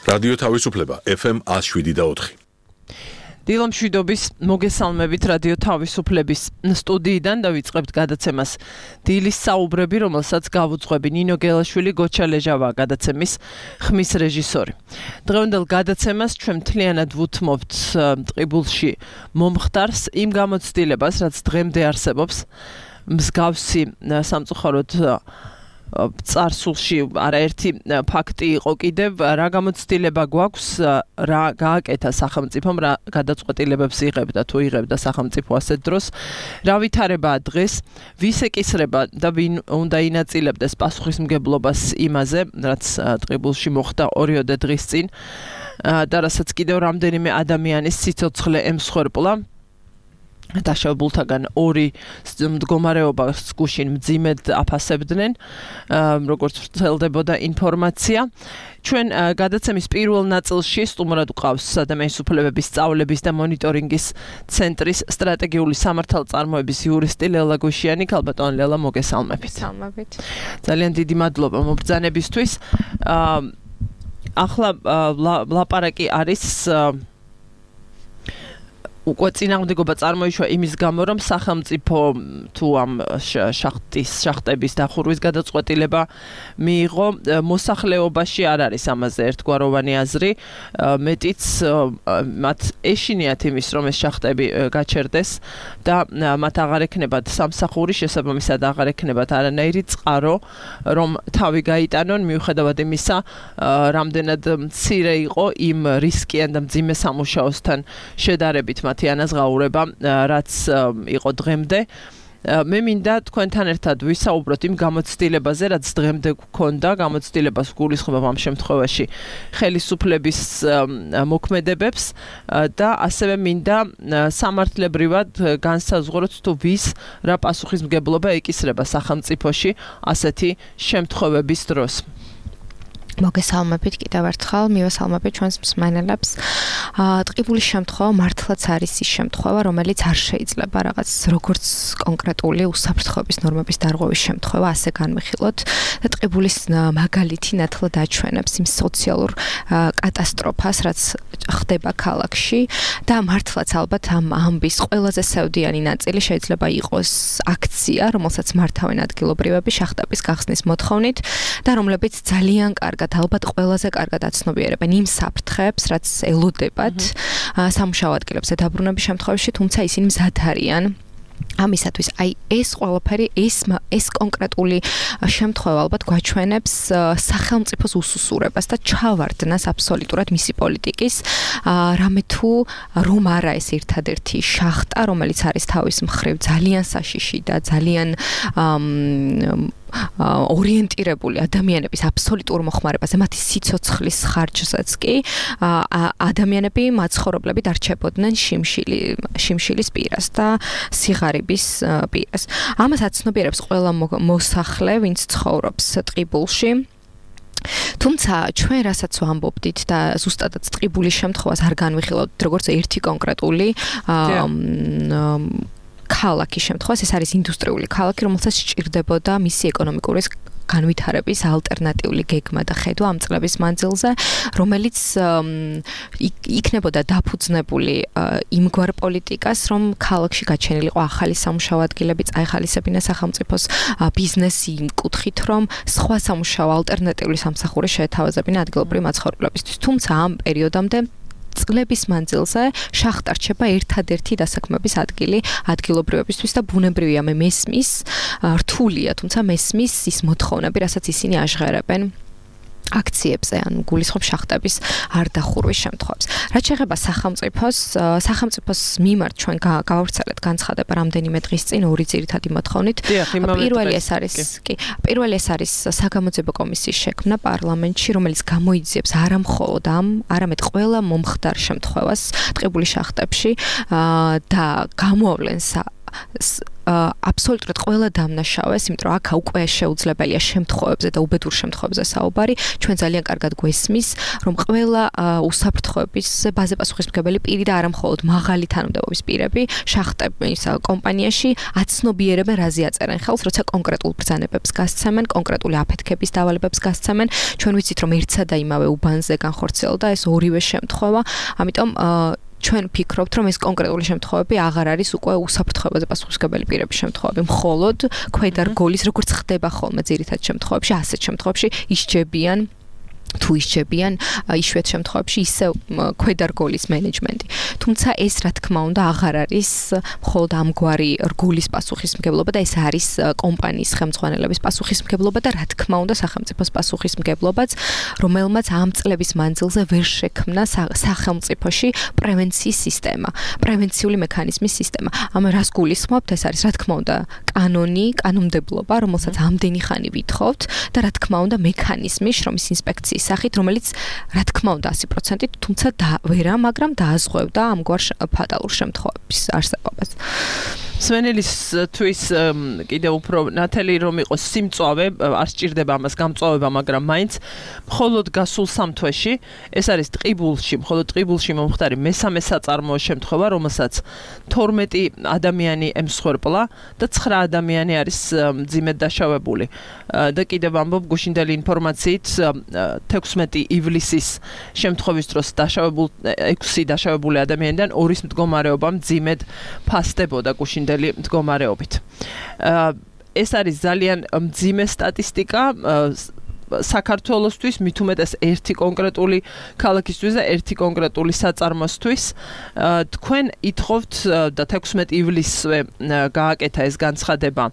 რადიო თავისუფლება FM 107.4. დილო მშვიდობის მოგესალმებით რადიო თავისუფლების სტუდიიდან დავიწყებთ გადაცემას დილის საუბრები, რომელსაც გავუძღვები ნინო გელაშვილი, გოჩა ლეჟავა გადაცემის ხმის რეჟისორი. დღევანდელ გადაცემას ჩვენ მთლიანად ვუთმობთ ტყიბულში მომხდარს იმ გამოცდილებას, რაც დღემდე არსებობს, მსგავსი სამწუხაროდ წარსულში არაერთი ფაქტი იყო კიდევ, რა გამოცდილება გვაქვს, რა გააკეთა სახელმწიფომ, რა გადაწყვეტილებებს იღებდა თუ იღებდა სახელმწიფო ასეთ დროს, რა ვითარებაა დღეს, ვის ეკისრება და ვინ უნდა ინაწილებდეს პასუხისმგებლობას იმაზე, რაც ტყიბულში მოხდა 2 დღის წინ და რასაც კიდევ რამდენიმე ადამიანის სიცოცხლე ემსხვერპლა. დაშავებულთაგან 2 მდგომარეობას გუშინ მძიმედ აფასებდნენ, როგორც ვრცელდებოდა ინფორმაცია. ჩვენ გადაცემის პირველ ნაწილში სტუმრად ვყავს ადამიანის უფლებების სწავლების და მონიტორინგის ცენტრის სტრატეგიული სამართალწარმოების იურისტი ლელა გუშიანი. ქალბატონ ლელა, მოგესალმებით. მოგესალმებით. ძალიან დიდი მადლობა მობრძანებისთვის. ახლა ლაპარაკი არის უკვე წინააღმდეგობა წარმოიშვა იმის გამო, რომ სახელმწიფო თუ ამ შახტების დახურვის გადაწყვეტილება მიიღო, მოსახლეობაში არ არის ამაზე ერთგვაროვანი აზრი, მეტიც მათ ეშინიათ იმის, რომ ეს შახტები გაჩერდეს და მათ აღარ ექნებათ სამსახური, შესაბამისად აღარ ექნებათ არანაირი წყარო, რომ თავი გაიტანონ, მიუხედავად იმისა, რამდენად მცირე იყო იმ რისკიან და მძიმე სამუშაოსთან შედარებით მათი ანაზღაურება, რაც იყო დღემდე. მე მინდა თქვენთან ერთად ვისაუბროთ იმ გამოცდილებაზე, რაც დღემდე გვქონდა, გამოცდილებას გულისხმობ ამ შემთხვევაში ხელისუფლების მოქმედებებს და ასევე მინდა სამართლებრივად განსაზღვროთ თუ ვის რა პასუხისმგებლობა ეკისრება სახელმწიფოში ასეთი შემთხვევების დროს. მოგესალმებით კიდევ ერთხელ, მივესალმებით ჩვენს მსმენელებს. ტყიბულის შემთხვევა მართლაც არის ის შემთხვევა, რომელიც არ შეიძლება რაღაც როგორც კონკრეტული უსაფრთხოების ნორმების დარღვევის შემთხვევა ასე განვიხილოთ და ტყიბულის მაგალითი ნათლად აჩვენებს იმ სოციალურ კატასტროფას, რაც ხდება ქალაქში და მართლაც ალბათ ამ ამბის ყველაზე სევდიანი ნაწილი შეიძლება იყოს აქცია, რომელსაც მართავენ ადგილობრივები შახტების გახსნის მოთხოვნით და რომლებიც ძალიან კარგად ალბათ ყველაზე კარგად აცნობიერებენ იმ საფრთხეებს, რაც ელოდებათ სამუშაო ადგილებზე დაბრუნების შემთხვევაში, თუმცა ისინი მზად არიან ამისათვის. აი ეს ყველაფერი, ეს კონკრეტული შემთხვევა ალბათ გვაჩვენებს სახელმწიფოს უსუსურებას და ჩავარდნას აბსოლუტურად მისი პოლიტიკის, რამე თუ რომ არა ეს ერთადერთი შახტა, რომელიც არის თავის მხრივ ძალიან საშიში და ძალიან ორიენტირებული ადამიანების აბსოლუტურ მოხმარებაზე, მათი სიცოცხლის ხარჯსაც კი ადამიანები მაცხოვრებლები დარჩებოდნენ შიმშილის პირას და სიღარიბის პირას. ამას აცნობიერებს ყველა მოსახლე, ვინც ცხოვრობს ტყიბულში. თუმცა ჩვენ რასაც ვამბობდით და ზუსტადაც ტყიბულის შემთხვევას არ განვიხილავთ როგორც ერთი კონკრეტული ქალაქის შემთხვევას, ეს არის ინდუსტრიული ქალაქი, რომელსაც სჭირდებოდა მისი ეკონომიკური განვითარების ალტერნატიული გეგმა და ხედვა ამ წლების მანძილზე, რომელიც იქნებოდა დაფუძნებული იმგვარ პოლიტიკას, რომ ქალაქში გაჩენილიყო ახალი სამუშაო ადგილები, წაეხალისებინა სახელმწიფოს ბიზნესი იმ კუთხით, რომ სხვა სამუშაო ალტერნატიული სამსახური შეეთავაზებინა ადგილობრივი მაცხოვრებლებისთვის. თუმცა ამ პერიოდამდე წლების მანძილზე შახტა რჩება ერთადერთი დასაქმების ადგილი ადგილობრივებისთვის და ბუნებრივია მე მესმის რთულია, თუმცა მესმის ის მოთხოვნები, რასაც ისინი აჟღერებენ აქციებზე, ან გულისხმობ შახტების არ დახურვის შემთხვევებს. რაც შეეხება სახელმწიფოს მიმართ ჩვენ გავავრცელეთ განცხადება რამდენიმე დღის წინ 2 ძირითადი მოთხოვნით. პირველი ეს არის საგამოძიებო კომისიის შექმნა პარლამენტში, რომელიც გამოიძიებს არა მხოლოდ ამ, არამედ ყველა მომხდარ შემთხვევას ტყიბულის შახტებში და გამოავლენს აბსოლუტურად ყველა დამნაშავეს, იმიტომ რომ აქ უკვე შეუძლებელია შემთხვევებზე და უბედურ შემთხვევებზე საუბარი, ჩვენ ძალიან კარგად გვესმის, რომ ყველა უსაფრთხოების ბაზე პასუხისმგებელი პირი და არა მხოლოდ მაღალი თანამდებობის პირები შახტების კომპანიაში აცნობიერებენ რაზე აწერენ ხელს, როცა კონკრეტულ ბრძანებებს გასცემენ, კონკრეტული აფეთქების დავალებებს გასცემენ. ჩვენ ვიცით, რომ ერთსა და იმავე უბანზე განხორციელდა ეს ორივე შემთხვევა, ამიტომ ჩვენ ვფიქრობთ, რომ ეს კონკრეტული შემთხვევები აღარ არის უკვე უსაფრთხოებაზე პასუხისმგებელი პირების შემთხვევები, მხოლოდ ქვედა რგოლის, როგორც ხდება ხოლმე ძირითად შემთხვევებში, ასეთ შემთხვევებში ისჯებიან თუ ისჯებიან იშვიათ შემთხვევებში ისევ ქვედა რგოლის მენეჯმენტი. თუმცა ეს რა თქმა უნდა აღარ არის მხოლოდ ამგვარი რგოლის პასუხისმგებლობა და ეს არის კომპანიის ხელმძღვანელების პასუხისმგებლობა და რა თქმა უნდა სახელმწიფოს პასუხისმგებლობაც, რომელმაც ამ წლების მანძილზე ვერ შექმნა სახელმწიფოში პრევენციის სისტემა, პრევენციული მექანიზმის სისტემა. ამ რას გულისხმობთ? ეს არის რა თქმა უნდა კანონმდებლობა, რომელსაც ამდენი ხანი ვითხოვთ და რა თქმა უნდა მექანიზმი შრომის ინსპექციის სახით, რომელიც რა თქმა უნდა 100%-ით, თუმცა მაგრამ დააზღვევდა ამგვარ ფატალურ შემთხვევების არსებობას. სვენელისთვის კიდევ უფრო ნათელი რომ იყოს სიმწვავე, არ სჭირდება ამას გამწვავება, მაგრამ მაინც მხოლოდ გასულ 3 თვეში ეს არის მხოლოდ ტყიბულში მომხდარი მესამე საწარმოო შემთხვევა, რომელსაც 12 ადამიანი ემსხვერპლა და 9 ადამიანი არის მძიმედ დაშავებული. და კიდევ ამბობ გუშინდელი ინფორმაციით 16 ივლისის შემთხვევის დროს 6 დაშავებული ადამიანიდან 2-ის მდგომარეობა მძიმედ ფასდებოდა გუშინდელი მდგომარეობით. ეს არის ძალიან მძიმე სტატისტიკა საქართველოსთვის, მით უმეტეს ერთი კონკრეტული ქალაქისთვის და ერთი კონკრეტული საწარმოსთვის. თქვენ ითხოვთ და 16 ივლისზე გააკეთა ეს განცხადება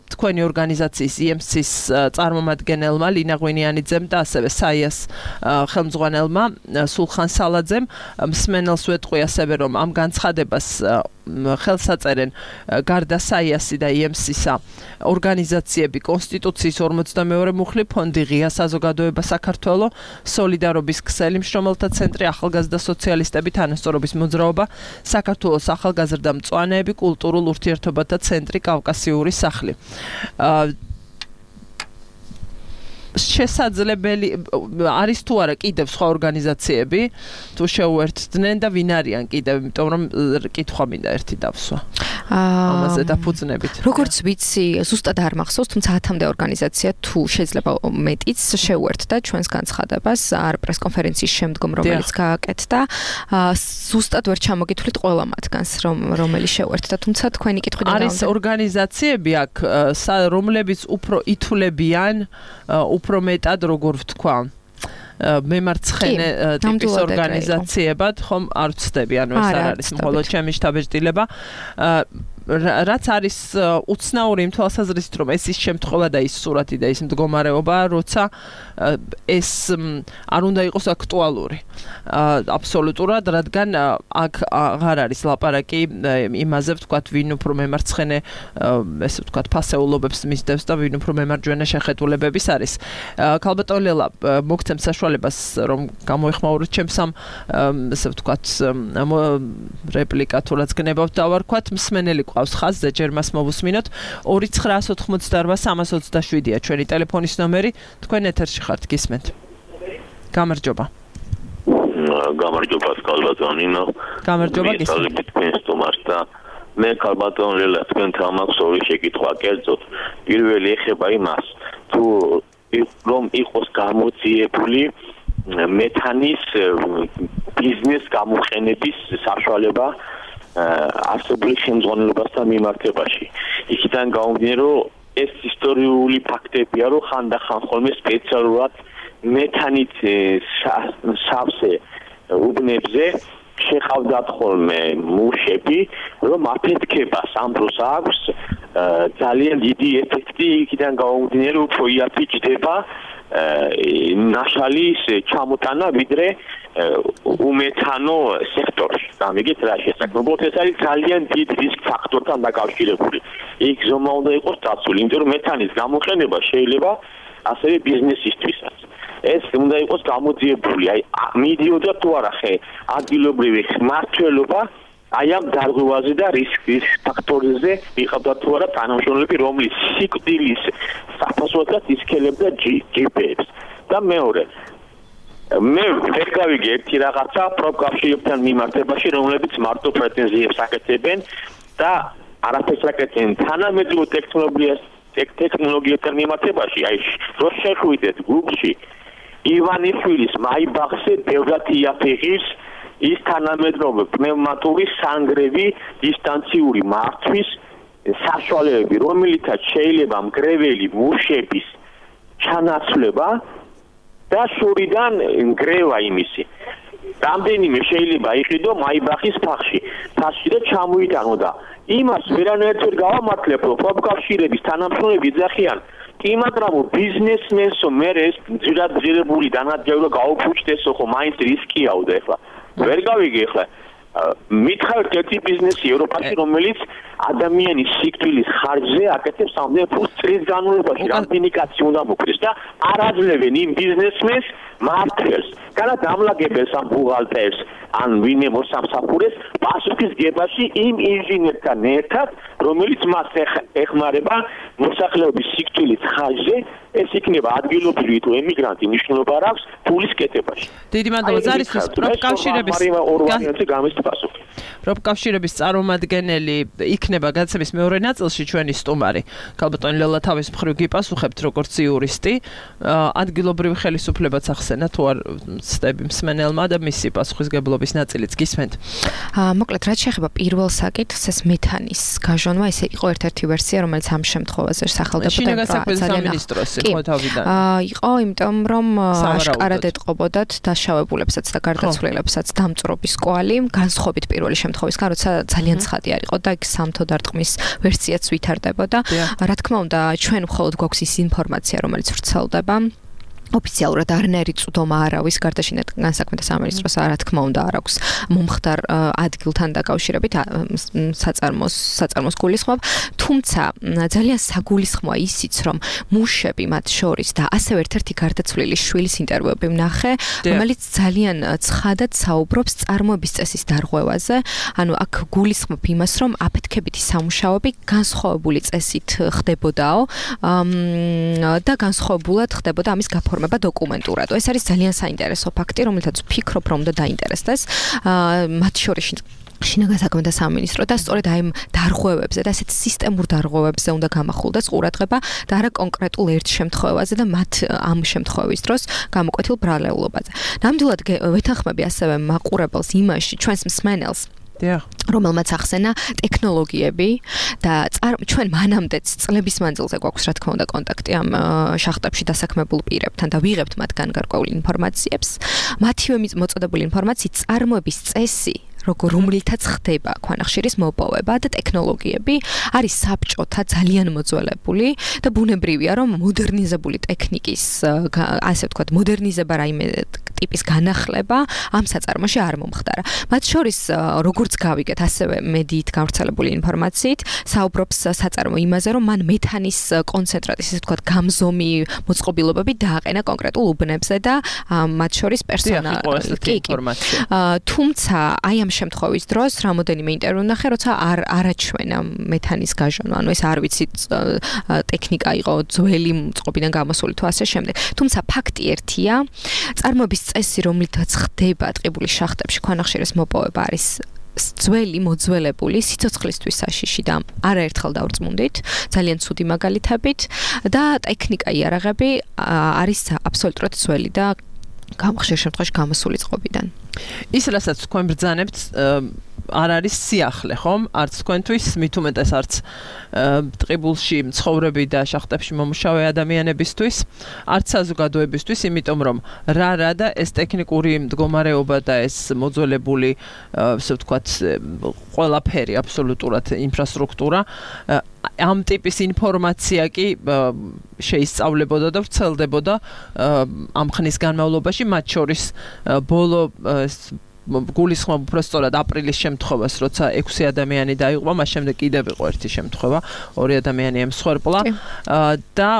თქვენი ორგანიზაციის EMC-ის წარმომადგენელმა ლინა ღვინიანიძემ და ასევე SAIA-ს ხელმძღვანელმა სულხან სალაძემ მსმენელს ვეტყვი ასევე რომ ამ განცხადებას ხელს აწერენ გარდა SAIA-სი და EMC-სა ორგანიზაციები კონსტიტუციის 42 მუხლი ფონდი ღია საზოგადოება საქართველო სოლიდარობის ქსელი მშრომელთა ცენტრი ახალგაზრდა სოციალისტები თანასწორობის მოძრაობა საქართველოს ახალგაზრდა მწვანეები კულტურულ ურთიერთობათა ცენტრი კავკასიური სახლი შესაძლებელი არის თუ არა კიდევ სხვა ორგანიზაციები თუ შეუერთდნენ და ვინ არიან კიდევ იმიტომ რომ კითხვა მინდა ერთი დავსვა ამაზე დაფუძნებით როგორც ვიცი ზუსტად არ მახსოვს თუმცა 10-მდე ორგანიზაცია თუ შეიძლება მეტიც შეუერთდა ჩვენს განცხადებას არ პრესკონფერენციის შემდგომ რომელიც გააკეთდა ზუსტად ვერ ჩამოგითვლით ყველა მათგანს რომელიც შეუერთდა თუმცა თქვენი კითხვიდან არის ორგანიზაციები აქ რომლებიც უფრო ითვლებიან უფრო მეტად როგორ ვთქვა მემარცხენე ტიპის ორგანიზაციებად ხომ არ ვცდები ანუ ეს არ არის მხოლოდ ჩემი შთაბეჭდილება რაც არის უცნაური იმ თვალსაზრისით რომ ეს ის შემთხვევა და ის სურათი და ის მდგომარეობა როცა ეს არ უნდა იყოს აქტუალური აბსოლუტურად რადგან აქ აღარ არის ლაპარაკი იმაზე ვთქვათ ვინ უფრო მემარცხენე ესე ვთქვათ ფასეულობებს მისდევს და ვინ უფრო მემარჯვენე შეხედულებების არის ქალბატონ ლელა მოგცემ საშუალებას რომ გამოეხმაუროთ ჩემს ამ ესე ვთქვათ რეპლიკა თუ რაც გნებავთ დავარქვათ მსმენელი ყავს ხაზზე ჯერ მას მოვუსმინოთ 2988-327-ია ჩვენი ტელეფონის ნომერი თქვენ ეთერში ხართ გისმენთ გამარჯობა გამარჯობა ქალბატონინო გამარჯობა გისმენთ მე ქალბატონ ლელა თქვენთან მაქვს ორი შეკითხვა კერძოდ პირველი ეხება იმას თუ რომ იყოს გამოძიებული მეთანის ბიზნეს გამოყენების საშუალება არსებული ხელმძღვანელობასთან მიმართებაში. იქიდან გამომდინარე, რომ ეს ისტორიული ფაქტებია, რომ ხანდახან ხოლმე სპეციალურად მეთანით სავსე უბნებზე შეხავდათ ხოლმე მუშები, რომ აფეთქებას ამ დროს აქვს ძალიან დიდი ეფექტი, იქიდან გამომდინარე, უფრო იაფი ჯდება ნაშალის ჩამოტანა ვიდრე უმეთანო სექტორში. გამიგეთ რა შესაძლებლობთ ეს არის ძალიან დიდ რისკ ფაქტორთან დაკავშირებული. იქ ზომა უნდა იყოს დაცული, იმიტომ რომ მეთანის გამოყენება შეიძლება ასევე ბიზნესისთვისაც. ეს უნდა იყოს გამოძიებული, აი მიდიოდა თუ არა ხე ადგილობრივი მმართველობა აი ამ დარღვევაზე და რისკის ფაქტორზე მიყავდა თუ არა თანამშრომლები, რომლის სიკვდილის საფასოდაც ისქელებდა ჯიპებს. და მეორე მე ვერ გავიგე ერთი რაღაცა პროფკავშირებთან მიმართებაში, რომლებიც მარტო პრეტენზიებს აკეთებენ და არაფერს აკეთებენ თანამედროვე ტექნოლოგიებთან მიმართებაში. აი რო შეხვიდეთ Google-ში ივანიშვილის მაიბახზე ბევრად იაფიღებს ის თანამედროვე პნევმატური სანგრევი დისტანციური მართვის საშუალებები, რომელიცაც შეიძლება მგრეველი მუშების ჩანაცვლება და შორიდან ნგრევა იმისი. რამდენიმე შეიძლება იყიდო მაიბახის ფახში და ჩამოიტანო და იმას ვერანაირად ვერ გავამართლებ, რომ პროფკავშირების თანამშრომლები ეძახიან კი მაგრამ ბიზნესმენსო მე ეს ძირადღირებული დანადგევრო გაუფუჭდესო ხო მაინც რისკიაო და ეხლა ვერ გავიგე ეხლა მითხარით ერთი ბიზნესი ევროპაში რომელიც ადამიანის სიკვდილის ხარჯზე აკეთებს ამდენ ფულს წლის განმავლობაში რამდენი კაცი უნდა მოკვდეს და არ აძლევენ იმ ბიზნესმენს მართლს განაც ამლაგებელს ამ ბუღალტერს ან ვინმე მოსამსახურეს პასუხის გებაში იმ ინჟინერთან ერთად რომელიც მას ეხმარება მოსახლეობის სიკვდილის ხარჯზე ეს იქნება ადგილობრივი თუ ემიგრანტი მნიშვნელობა არ აქვს ფულის კეთებაში. დიდი მადლობა ზარისთვის პროფკავშირების წარმომადგენელი იქნება გადაცემის მეორე ნაწილში ჩვენი სტუმარი. ქალბატონი ლელა თავის მხრივ გიპასუხებთ როგორც იურისტი, ადგილობრივი ხელისუფლებაც ახსენა თუ არ ცდები მსმენელმა და მისი პასუხისგებლობის ნაწილიც გისმენთ. მოკლედ რაც შეეხება პირველ საკითხს, ეს მეთანის გაჟონვა, ეს იყო ერთ-ერთი ვერსია, რომელიც ამ შემთხვევაში სახელდებოდა სამინისტროსი ხო თავიდან. იყო, იმიტომ რომ აშკარად ეტყობოდათ დაშავებულებსაც და გარდაცვლილებსაც დამწვრობის კვალი, განსხვავებით პირველი შემთხვევისგან, როცა ძალიან ცხადი არ იყო და იქ სამთო დარტყმის ვერსიაც ვითარდებოდა. რა თქმა უნდა, ჩვენ მხოლოდ გვაქვს ის ინფორმაცია, რომელიც ვრცელდება. ოფიციალურად არნერი წვდომა არ არის გარდაშინეთ განსაქმეთა სამინისტროს რა თქმა უნდა არ აქვს მომხდარ ადგილთან დაკავშირებით საწარმოს გულისხმობ თუმცა ძალიან საგულისხმოა ისიც რომ მუშები მათ შორის და ასევე ერთ-ერთი გარდაცვლილი შვილის ინტერვიუები ვნახე რომელიც ძალიან ცხადად საუბრობს წარმოების წესის დარღვევაზე ანუ აქ გულისხმობ იმას რომ აფეთქებითი სამუშაოები განსხვავებული წესით ხდებოდაო და განსხვავებულად ხდებოდა ამის დოკუმენტურად. ეს არის ძალიან საინტერესო ფაქტი, რომელთაც ვფიქრობ, რომ უნდა დაინტერესდეს. მათ შორის შინაგან საქმეთა სამინისტრო და სწორედ აი ამ დარღვევებზე და ასეთ სისტემურ დარღვევებზე უნდა გამახულდეს ყურადღება და არა კონკრეტულ ერთ შემთხვევაზე და მათ ამ შემთხვევის დროს გამოკვეთილ ბრალეულობაზე. ნამდვილად ვეთანხმები ასევე მაყურებელს იმაში, ჩვენს მსმენელს რომელმაც ახსენა ტექნოლოგიები და ჩვენ მანამდეც წლების მანძილზე გვაქვს რა თქმა უნდა კონტაქტი ამ შახტებში დასაქმებულ პირებთან და ვიღებთ მათგან გარკვეულ ინფორმაციებს. მათივე მოწოდებული ინფორმაციით წარმოების წესი რომელთაც ხდება ქვანახშირის მოპოვება და ტექნოლოგიები არის საბჭოთა ძალიან მოძველებული და ბუნებრივია რომ მოდერნიზებული ტექნიკის ასე ვთქვათ მოდერნიზება რაიმე ტიპის განახლება ამ საწარმოში არ მომხდარა. მათ შორის როგორც გავიგეთ ასევე მედიით გავრცელებული ინფორმაციით საუბრობს საწარმო იმაზე რომ მან მეთანის კონცენტრატის ესე ვთქვათ გამზომი მოწყობილობები დააყენა კონკრეტულ უბნებზე და მათ შორის პერსონალს თუმცა აი ამ შემთხვევის დროს რამოდენიმე ინტერვიუ ნახე, როცა არაჩვენა მეთანის გაჟონვა, ანუ ეს არ ვიცი ტექნიკა იყო ძველი წყობიდან გამოსული თუ ასე შემდეგ. თუმცა ფაქტი ერთია, წარმოების წესი, რომლითაც ხდება ტყიბულის შახტებში ქვანახშირის მოპოვება არის ძველი მოძველებული სიცოცხლისთვის საშიში და არაერთხელ დავრწმუნდით, ძალიან ცუდი მაგალითებით და ტექნიკა იარაღები არის აბსოლუტურად ძველი და ხშირ შემთხვევაში გამოსული წყობიდან. ის რასაც თქვენ ბრძანებთ არ არის სიახლე, ხომ? არც თქვენთვის, მით უმეტეს არც ტყიბულში მცხოვრები და შახტებში მომუშავე ადამიანებისთვის, არც საზოგადოებისთვის, იმიტომ რომ რა და ეს ტექნიკური მდგომარეობა და ეს მოძველებული, ასე ვთქვათ, ყველაფერი აბსოლუტურად ინფრასტრუქტურა ამ ტიპის ინფორმაცია კი შეისწავლებოდა და ვრცელდებოდა ამ ხნის განმავლობაში, მათ შორის ბოლო გულისხმობ უბრალოდ აპრილის შემთხვევას, როცა 6 ადამიანი დაიღუპა, მას შემდეგ კიდევ იყო ერთი შემთხვევა, 2 ადამიანი ემსხვერპლა და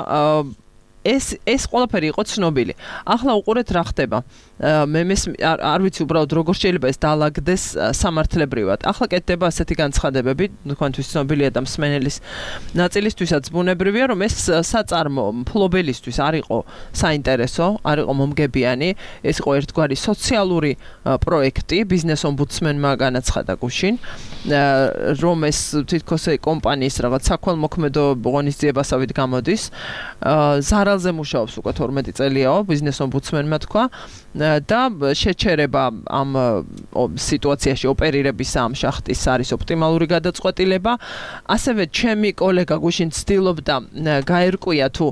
ეს ყველაფერი იყო ცნობილი. ახლა უყურეთ რა ხდება. მე არ ვიცი უბრალოდ როგორ შეიძლება ეს დაალაგდეს სამართლებრივად. ახლა კეთდება ასეთი განცხადებები, თქვენთვის ცნობილია და მსმენელის ნაწილისთვისაც ბუნებრივია, რომ ეს საწარმო მფლობელისთვის არ იყო საინტერესო, არ იყო მომგებიანი, ეს იყო ერთგვარი სოციალური პროექტი, ბიზნეს ომბუდსმენმა განაცხადა გუშინ, რომ ეს თითქოს კომპანიის რაღაც საქველმოქმედო ღონისძიებასავით გამოდის. ზარალზე მუშაობს უკვე 12 წელიაო, ბიზნეს ომბუდსმენმა თქვა და შეჩერება ამ სიტუაციაში ოპერირების ამ შახტის არის ოპტიმალური გადაწყვეტილება. ასევე ჩემი კოლეგა გუშინ ცდილობდა გაერკვია თუ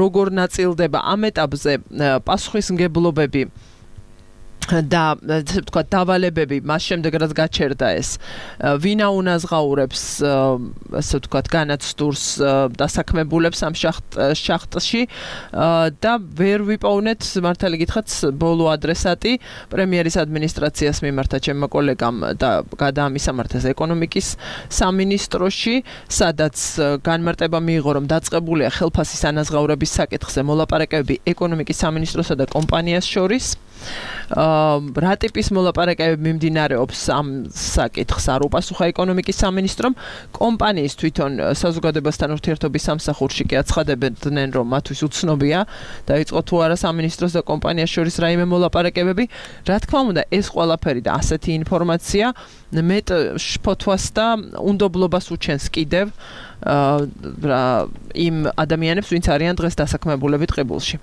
როგორ ნაწილდება ამ ეტაპზე პასუხისმგებლობები და თქვა დავალებები მას შემდეგ რაც გაჩერდა ეს ვინა უნაზღაურებს ასე თქვა განაცდურს დასაქმებულებს ამ შახტში და ვერ ვიპოვნეთ მართალი გითხრათ ბოლო ადრესატი პრემიერის ადმინისტრაციას მიმართა ჩემმა კოლეგამ და გადაამისამართეს ეკონომიკის სამინისტროში სადაც განმარტება მიიღო რომ დაწყებულია ხელფასის ანაზღაურების საკითხზე მოლაპარაკებები ეკონომიკის სამინისტროსა და კომპანიას შორის რა ტიპის მოლაპარაკებები მიმდინარეობს ამ საკითხს არ უპასუხა ეკონომიკის სამინისტრომ კომპანიის თვითონ საზოგადოებასთან ურთიერთობის სამსახურში კი აცხადებდნენ რომ მათთვის უცნობია დაიწყო თუ არა სამინისტროს და კომპანიას შორის რაიმე მოლაპარაკებები რა თქმა უნდა ეს ყველაფერი და ასეთი ინფორმაცია მეტ შფოთვას და უნდობლობას უჩენს კიდევ იმ ადამიანებს ვინც არიან დღეს დასაქმებულები ტყიბულში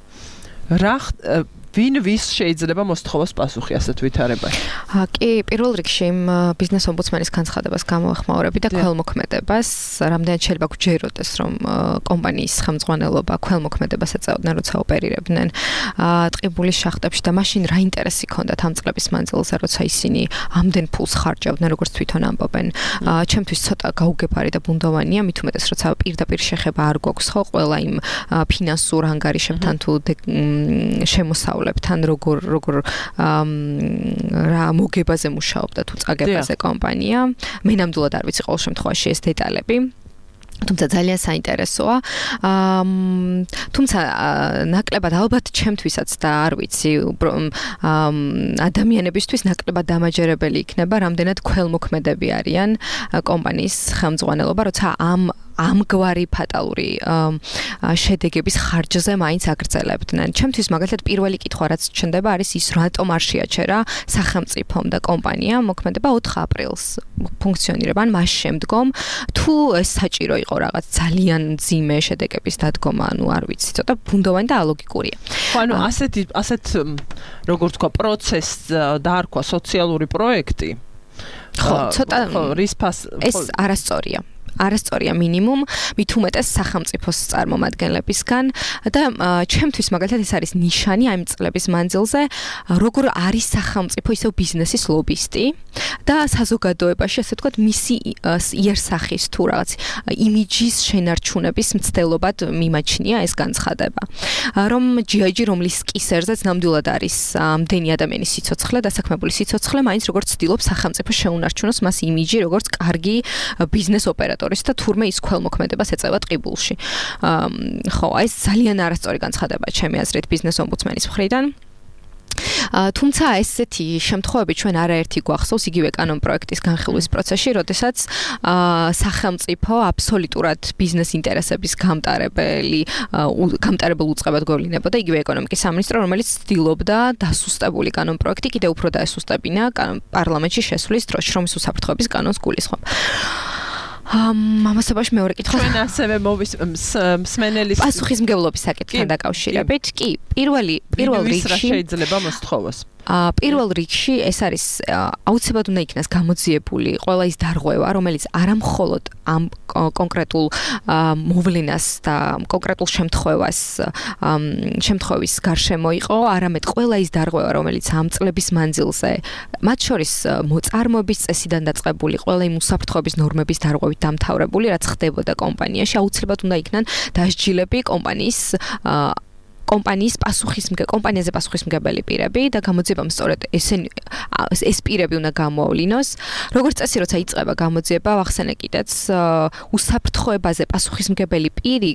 რა ვინ ვის შეიძლება მოსთხოვოს პასუხი ასეთ ვითარებაში? კი, პირველ რიგში ბიზნეს ომბუდსმენის განცხადებას გამოეხმაურები და ქველმოქმედებას, რამდენად შეიძლება გვჯეროდეს, რომ კომპანიის ხელმძღვანელობა ქველმოქმედებას ეწეოდნენ, როცა ოპერირებდნენ ტყიბულის შახტებში და მაშინ რა ინტერესი ჰქონდათ ამ წლების მანძილზე, როცა ისინი ამდენ ფულს ხარჯავდნენ, როგორც თვითონ ამბობენ. ჩემთვის ცოტა გაუგებარი და ბუნდოვანია, მით უმეტეს, როცა პირდაპირ შეხება არ გვაქვს ხო, ყველა იმ ფინანსურ ანგარიშებთან თუ შემოსავლ თან როგორ რა მოგებაზე მუშაობდა თუ წაგებაზე კომპანია მე ნამდვილად არ ვიცი ყოველ შემთხვევაში ეს დეტალები თუმცა ძალიან საინტერესოა თუმცა ნაკლებად ალბათ ჩემთვისაც და არ ვიცი ადამიანებისთვის ნაკლებად დამაჯერებელი იქნება რამდენად ქველმოქმედები არიან კომპანიის ხელმძღვანელობა როცა ამგვარი ფატალური შედეგების ხარჯზე მაინც აგრძელებდნენ. ჩემთვის მაგალითად პირველი კითხვა რაც ჩნდება არის ის რატომ არ შეაჩერა სახელმწიფომ და კომპანია მოქმედება 4 აპრილს ფუნქციონირება ან მას შემდგომ თუ ეს საჭირო იყო რაღაც ძალიან ძიმე შედეგების დადგომა, ანუ არ ვიცი, ცოტა ბუნდოვანი და ალოგიკურია. ხო, ანუ ასეთ როგორ თქვა პროცესს დაარქვა სოციალური პროექტი. ხო, ცოტა ეს არასწორია მინიმუმ მით უმეტეს სახელმწიფოს წარმომადგენლებისგან და ჩემთვის მაგალითად ეს არის ნიშანი ამ წლების მანძილზე როგორ არის სახელმწიფო ისევ ბიზნესის ლობისტი და საზოგადოებაში ასე ვთქვათ მისი იერსახის თუ რაღაც იმიჯის შენარჩუნების მცდელობად მიმაჩნია ეს განცხადება რომ GIG რომლის კისერზეც ნამდვილად არის ამდენი ადამიანის სიცოცხლე დასაქმებული სიცოცხლე მაინც როგორც ცდილობს სახელმწიფო შეუნარჩუნოს მას იმიჯი როგორც კარგი ბიზნეს ოპერატორი და თურმე ის ქველმოქმედებას ეწევა ტყიბულში. ხო, ეს ძალიან არასწორი განცხადება ჩემი აზრით ბიზნეს ომბუდსმენის მხრიდან. თუმცა ესეთი შემთხვევები ჩვენ არაერთი გვახსოვს იგივე კანონ პროექტის განხილვის პროცესში, როდესაც სახელმწიფო აბსოლუტურად ბიზნეს ინტერესების გამტარებელ უწყებად გავლინებოდა იგივე ეკონომიკის სამინისტრო, რომელიც ცდილობდა დასუსტებული კანონ პროექტი კიდევ უფრო დაესუსტებინა პარლამენტში შესვლის დროს, შრომის უსაფრთხოების კანონს გულისხმობ. ამასობაში მეორე კითხვა. ჩვენ ასევე მსმენელის პასუხისმგებლობის საკითხთან დაკავშირებით, კი, პირველ რიგში შეიძლება მოსთხოვოს. პირველ რიგში ეს არის აუცილებლად უნდა იქნას გამოძიებული ყველა ის დარღვევა, რომელიც არა მხოლოდ ამ კონკრეტულ მოვლენას და კონკრეტულ შემთხვევის გარშემო იყო, არამედ ყველა ის დარღვევა, რომელიც ამ წლების მანძილზე, მათ შორის მოწარმოების წესიდან დაწყებული ყველა იმ უსაფრთხოების ნორმების დარღვევით დამთავრებული, რაც ხდებოდა კომპანიაში, აუცილებლად უნდა იქნან დასჯილები კომპანიაზე პასუხისმგებელი პირები და გამოძიებამ სწორედ ეს პირები უნდა გამოავლინოს. როგორც წესი, როცა იწყება გამოძიება, ვახსენე კიდეც უსაფრთხოებაზე პასუხისმგებელი პირი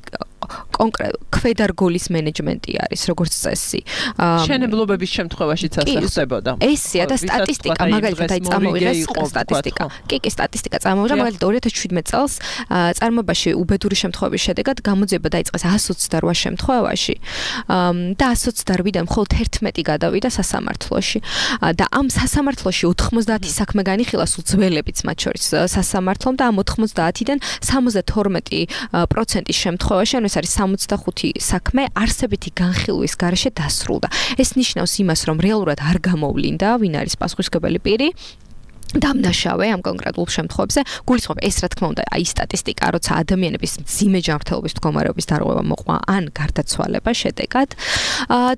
ქვედარგოლის მენეჯმენტი არის როგორც წესი. შენებლობების შემთხვევაშიც ასე ხდებოდა. ესეა და სტატისტიკა მაგალითად აი წამოვიღეს სტატისტიკა. კი, სტატისტიკა წამოვიღე მაგალითად 2017 წელს წარმოებაში უბედური შემთხვევების შედეგად გამოძიება დაიწყეს 128 შემთხვევაში და 128-დან მხოლოდ 11 გადავიდა სასამართლოში. და ამ სასამართლოში 90 საქმე განიხილა სულ ძველებიც მათ შორის სასამართლომ და ამ 90-დან 72% შემთხვევაში, ანუ ეს არის 65 საქმე არსებითი განხილვის გარეშე დასრულდა. ეს ნიშნავს იმას, რომ რეალურად არ გამოვლინდა, ვინ არის პასუხისმგებელი პირი. დამნაშავე ამ კონკრეტულ შემთხვევებზე გულისხმობ ეს რა თქმა უნდა აი სტატისტიკა როცა ადამიანების მძიმე ჯანმრთელობის მდგომარეობის დარღვევა მოყვა ან გარდაცვალება შედეგად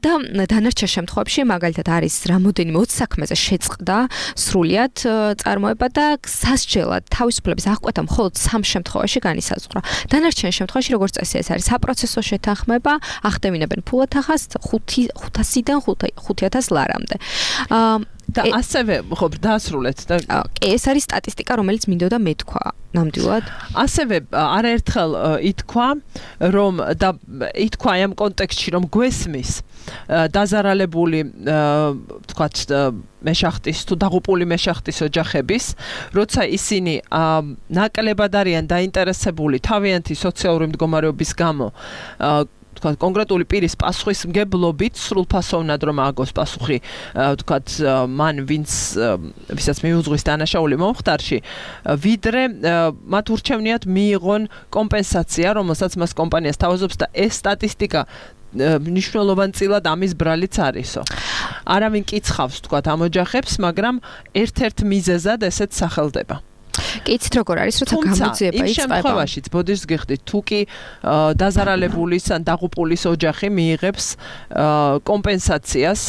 და დანარჩენ შემთხვევებში მაგალითად არის რამოდენიმე 20 საქმეზე შეწყდა სრულიად წარმოება და სასჯელად თავისუფლების აღკვეთა მხოლოდ 3 შემთხვევაში განისაზღვრა. დანარჩენ შემთხვევაში როგორც წესი ეს არის საპროცესო შეთანხმება, ახდემინებენ ფულათახას 500-დან 5000 ლარამდე. და ასევე ხო დაასრულეთ და ეს არის სტატისტიკა რომელიც მინდოდა მეთქვა ნამდვილად ასევე არაერთხელ ითქვა რომ და ითქვა ამ კონტექსტში რომ გვესმის დაზარალებული თქვათ მეშახტის თუ დაღუპული მეშახტის ოჯახების როცა ისინი ნაკლებად არიან დაინტერესებული თავიანთი სოციალური მდგომარეობის გამო თქვათ კონკრეტული პირის პასუხისმგებლობით სრულფასოვნად რომ ააგოს პასუხი თქვათ მან ვისაც მიუძღვის დანაშაული მომხდარში ვიდრე მათ ურჩევნიათ მიიღონ კომპენსაცია რომელსაც მას კომპანიას თავაზობს და ეს სტატისტიკა მნიშვნელოვანწილად ამის ბრალიც არისო. არავინ კიცხავს თქვათ ამ ოჯახებს, მაგრამ ერთ-ერთ მიზეზად ესეც სახელდება. კი იცით როგორ არის როცა გამოძიება იწყება. იმ შემთხვევაშიც ბოდიშს გიხდით თუ კი დაზარალებულის ან დაღუპულის ოჯახი მიიღებს კომპენსაციას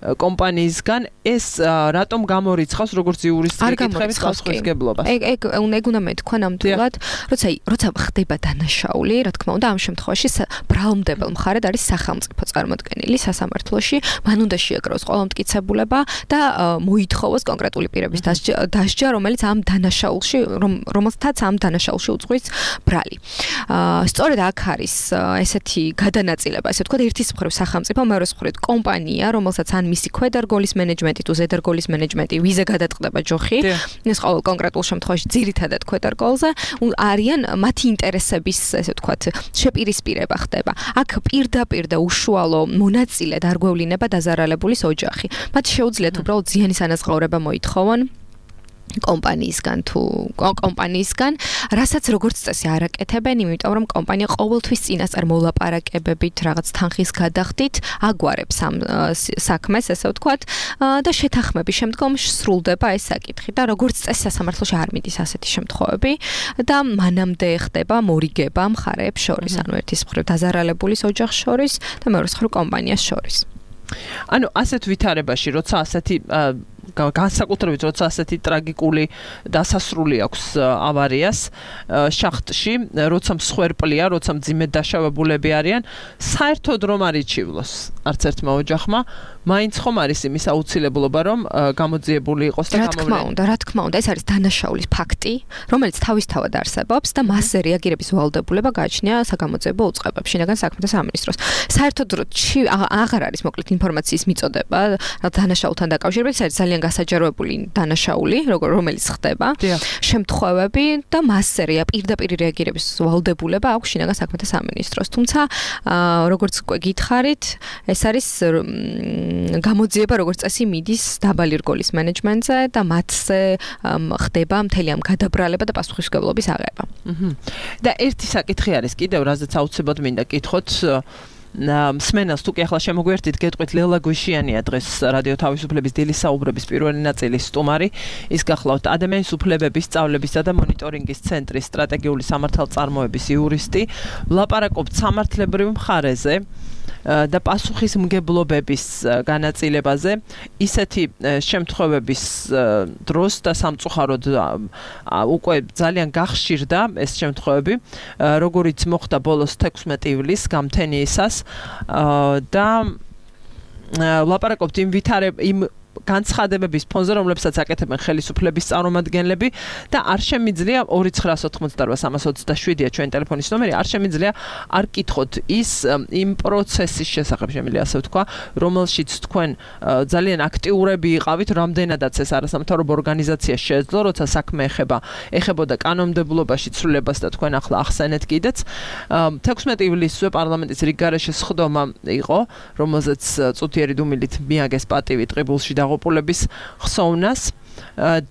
კომპანიისგან ეს რატომ გამორიცხავს როგორც იურისტის კითხვების პასუხისმგებლობას. ეგ უნდა მეთქვა ნამდვილად, როცა ხდება დანაშაული, რა თქმა უნდა, ამ შემთხვევაში ბრალმდებელ მხარედ არის სახელმწიფო წარმოდგენილი სასამართლოში, მან უნდა შეაგროვოს ყველა მტკიცებულება და მოითხოვოს კონკრეტული პირების დასჯა, რომელიც ამ დანაშაულში, რომელთაც ამ დანაშაულში უძღვის ბრალი. სწორედ აქ არის ესეთი გადანაწილება, ესე ვთქვათ, ერთის მხრივ სახელმწიფო, მეორეს მხრივ კომპანია, რომელსაც ან მისი ქვედარგოლის მენეჯმენტი თუ ზედარგოლის მენეჯმენტი ვიზე გადაწყდება ჯოხი ეს ყოველ კონკრეტულ შემთხვევაში ძირითადად ქვედარგოლზე არიან მათი ინტერესების ესე ვთქვათ შეპირისპირება ხდება აქ პირდაპირ და უშუალო მონაწილედ არ გვევლინება დაზარალებულის ოჯახი მათ შეუძლიათ უბრალოდ ზიანის ანაზღაურება მოითხოვონ კომპანიისგან თუ კომპანიისგან, რასაც როგორც წესი არ აკეთებენ, იმიტომ რომ კომპანია ყოველთვის წინასწარ მოლაპარაკებებით, რაღაც თანხის გადახდით აგვარებს ამ საქმეს, ესე ვთქვათ, და შეთანხმების შემდგომ სრულდება ეს საკითხი და როგორც წესი სასამართლოში არ მიდის ასეთი შემთხვევები და მანამდე ხდება მორიგება მხარეებს შორის, ანუ ერთის მხრივ დაზარალებულის ოჯახს შორის და მეორეს მხრივ კომპანიას შორის. ანუ ასეთ ვითარებაში, როცა ასეთი განსაკუთრებით როცა ასეთი ტრაგიკული დასასრული აქვს ავარიას შახტში, როცა მსხვერპლია, როცა მძიმედ დაშავებულები არიან, საერთოდ რომ არ იჩივლოს არც ერთმა ოჯახმა, მაინც ხომ არის იმის აუცილებლობა, რომ გამოძიებული იყოს და გამოვლენილი. რა თქმა უნდა, ეს არის დანაშაულის ფაქტი, რომელიც თავისთავად არსებობს და მასზე რეაგირების ვალდებულება გააჩნია საგამოძიებო უწყებებს, შინაგან საქმეთა სამინისტროს. საერთოდ აღარ არის მოკლედ ინფორმაციის მიწოდება დანაშაულთან დაკავშირებით, ეს არის ძალიან გასაჯაროებული დანაშაული, რომელიც ხდება, შემთხვევები და მასზე პირდაპირ რეაგირების ვალდებულება აქვს შინაგან საქმეთა სამინისტროს. თუმცა, როგორც გითხარით, ეს არის გამოძიება როგორც წესი მიდის დაბალი რგოლის მენეჯმენტზე და მათზე ხდება მთელი ამ გადაბრალება და პასუხისმგებლობის აღება. და ერთი საკითხი არის კიდევ, რაზეც აუცილებლად მინდა კითხოთ მსმენელს თუ კი ახლა შემოგვერთით გეტყვით ლელა გვიშიანია დღეს რადიო თავისუფლების დილის საუბრების პირველი ნაწილის სტუმარი ის გახლავთ ადამიანის უფლებების სწავლებისა და მონიტორინგის ცენტრის სტრატეგიული სამართალწარმოების იურისტი ვლაპარაკობთ სამართლებრივ მხარეზე და პასუხისმგებლობების განაწილებაზე ისეთი შემთხვევების დროს და სამწუხაროდ უკვე ძალიან გახშირდა ეს შემთხვევები როგორიც მოხდა ბოლოს 16 ივლისს გამთენიისას და ვლაპარაკობთ იმ განცხადებების ფონზე, რომლებსაც აკეთებენ ხელისუფლების წარმომადგენლები და არ შემიძლია 2988-327-ია ჩვენი ტელეფონის ნომერი, არ შემიძლია არ კითხოთ ის იმ პროცესის შესახებ შემიძლია ასე ვთქვა, რომელშიც თქვენ ძალიან აქტიურები იყავით, რამდენადაც ეს არასამთავრობო ორგანიზაცია შეეძლო, როცა საქმე ეხებოდა კანონმდებლობაში ცვლილებას და თქვენ ახლა ახსენეთ კიდეც. 16 ივლისზე პარლამენტის რიგგარეშე სხდომა იყო, რომელზეც წუთიერი დუმილით მიაგეს პატივი ტყიბულში დაღუპულების ხსოვნას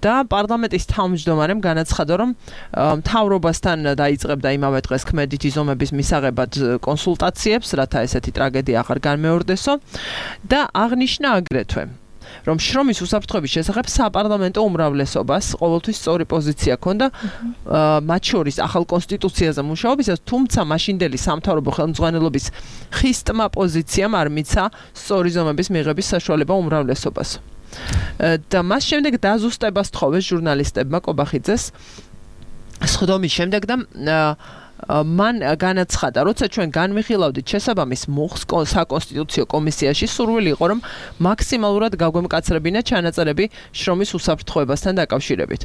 და პარლამენტის თავმჯდომარემ განაცხადა, რომ მთავრობასთან დაიწყებდა იმავე დღეს ქმედითი ზომების მისაღებად კონსულტაციებს, რათა ესეთი ტრაგედია აღარ განმეორდესო და აღნიშნა აგრეთვე, რომ შრომის უსაფრთხოების შესახებ საპარლამენტო უმრავლესობას ყოველთვის სწორი პოზიცია ჰქონდა მათ შორის ახალ კონსტიტუციაზე მუშაობისას, თუმცა მაშინდელი სამთავრობო ხელმძღვანელობის ხისტმა პოზიციამ არ მიცა სწორი ზომების მიღების საშუალება უმრავლესობას. და მას შემდეგ დაზუსტებას თხოვეს ჟურნალისტებმა კობახიძეს სხდომის შემდეგ და მან განაცხადა, როცა ჩვენ განვიხილავდით შესაბამის მუხს საკონსტიტუციო კომისიაში, სურვილი იყო, რომ მაქსიმალურად გაგვემკაცრებინა ჩანაწერები შრომის უსაფრთხოებასთან დაკავშირებით.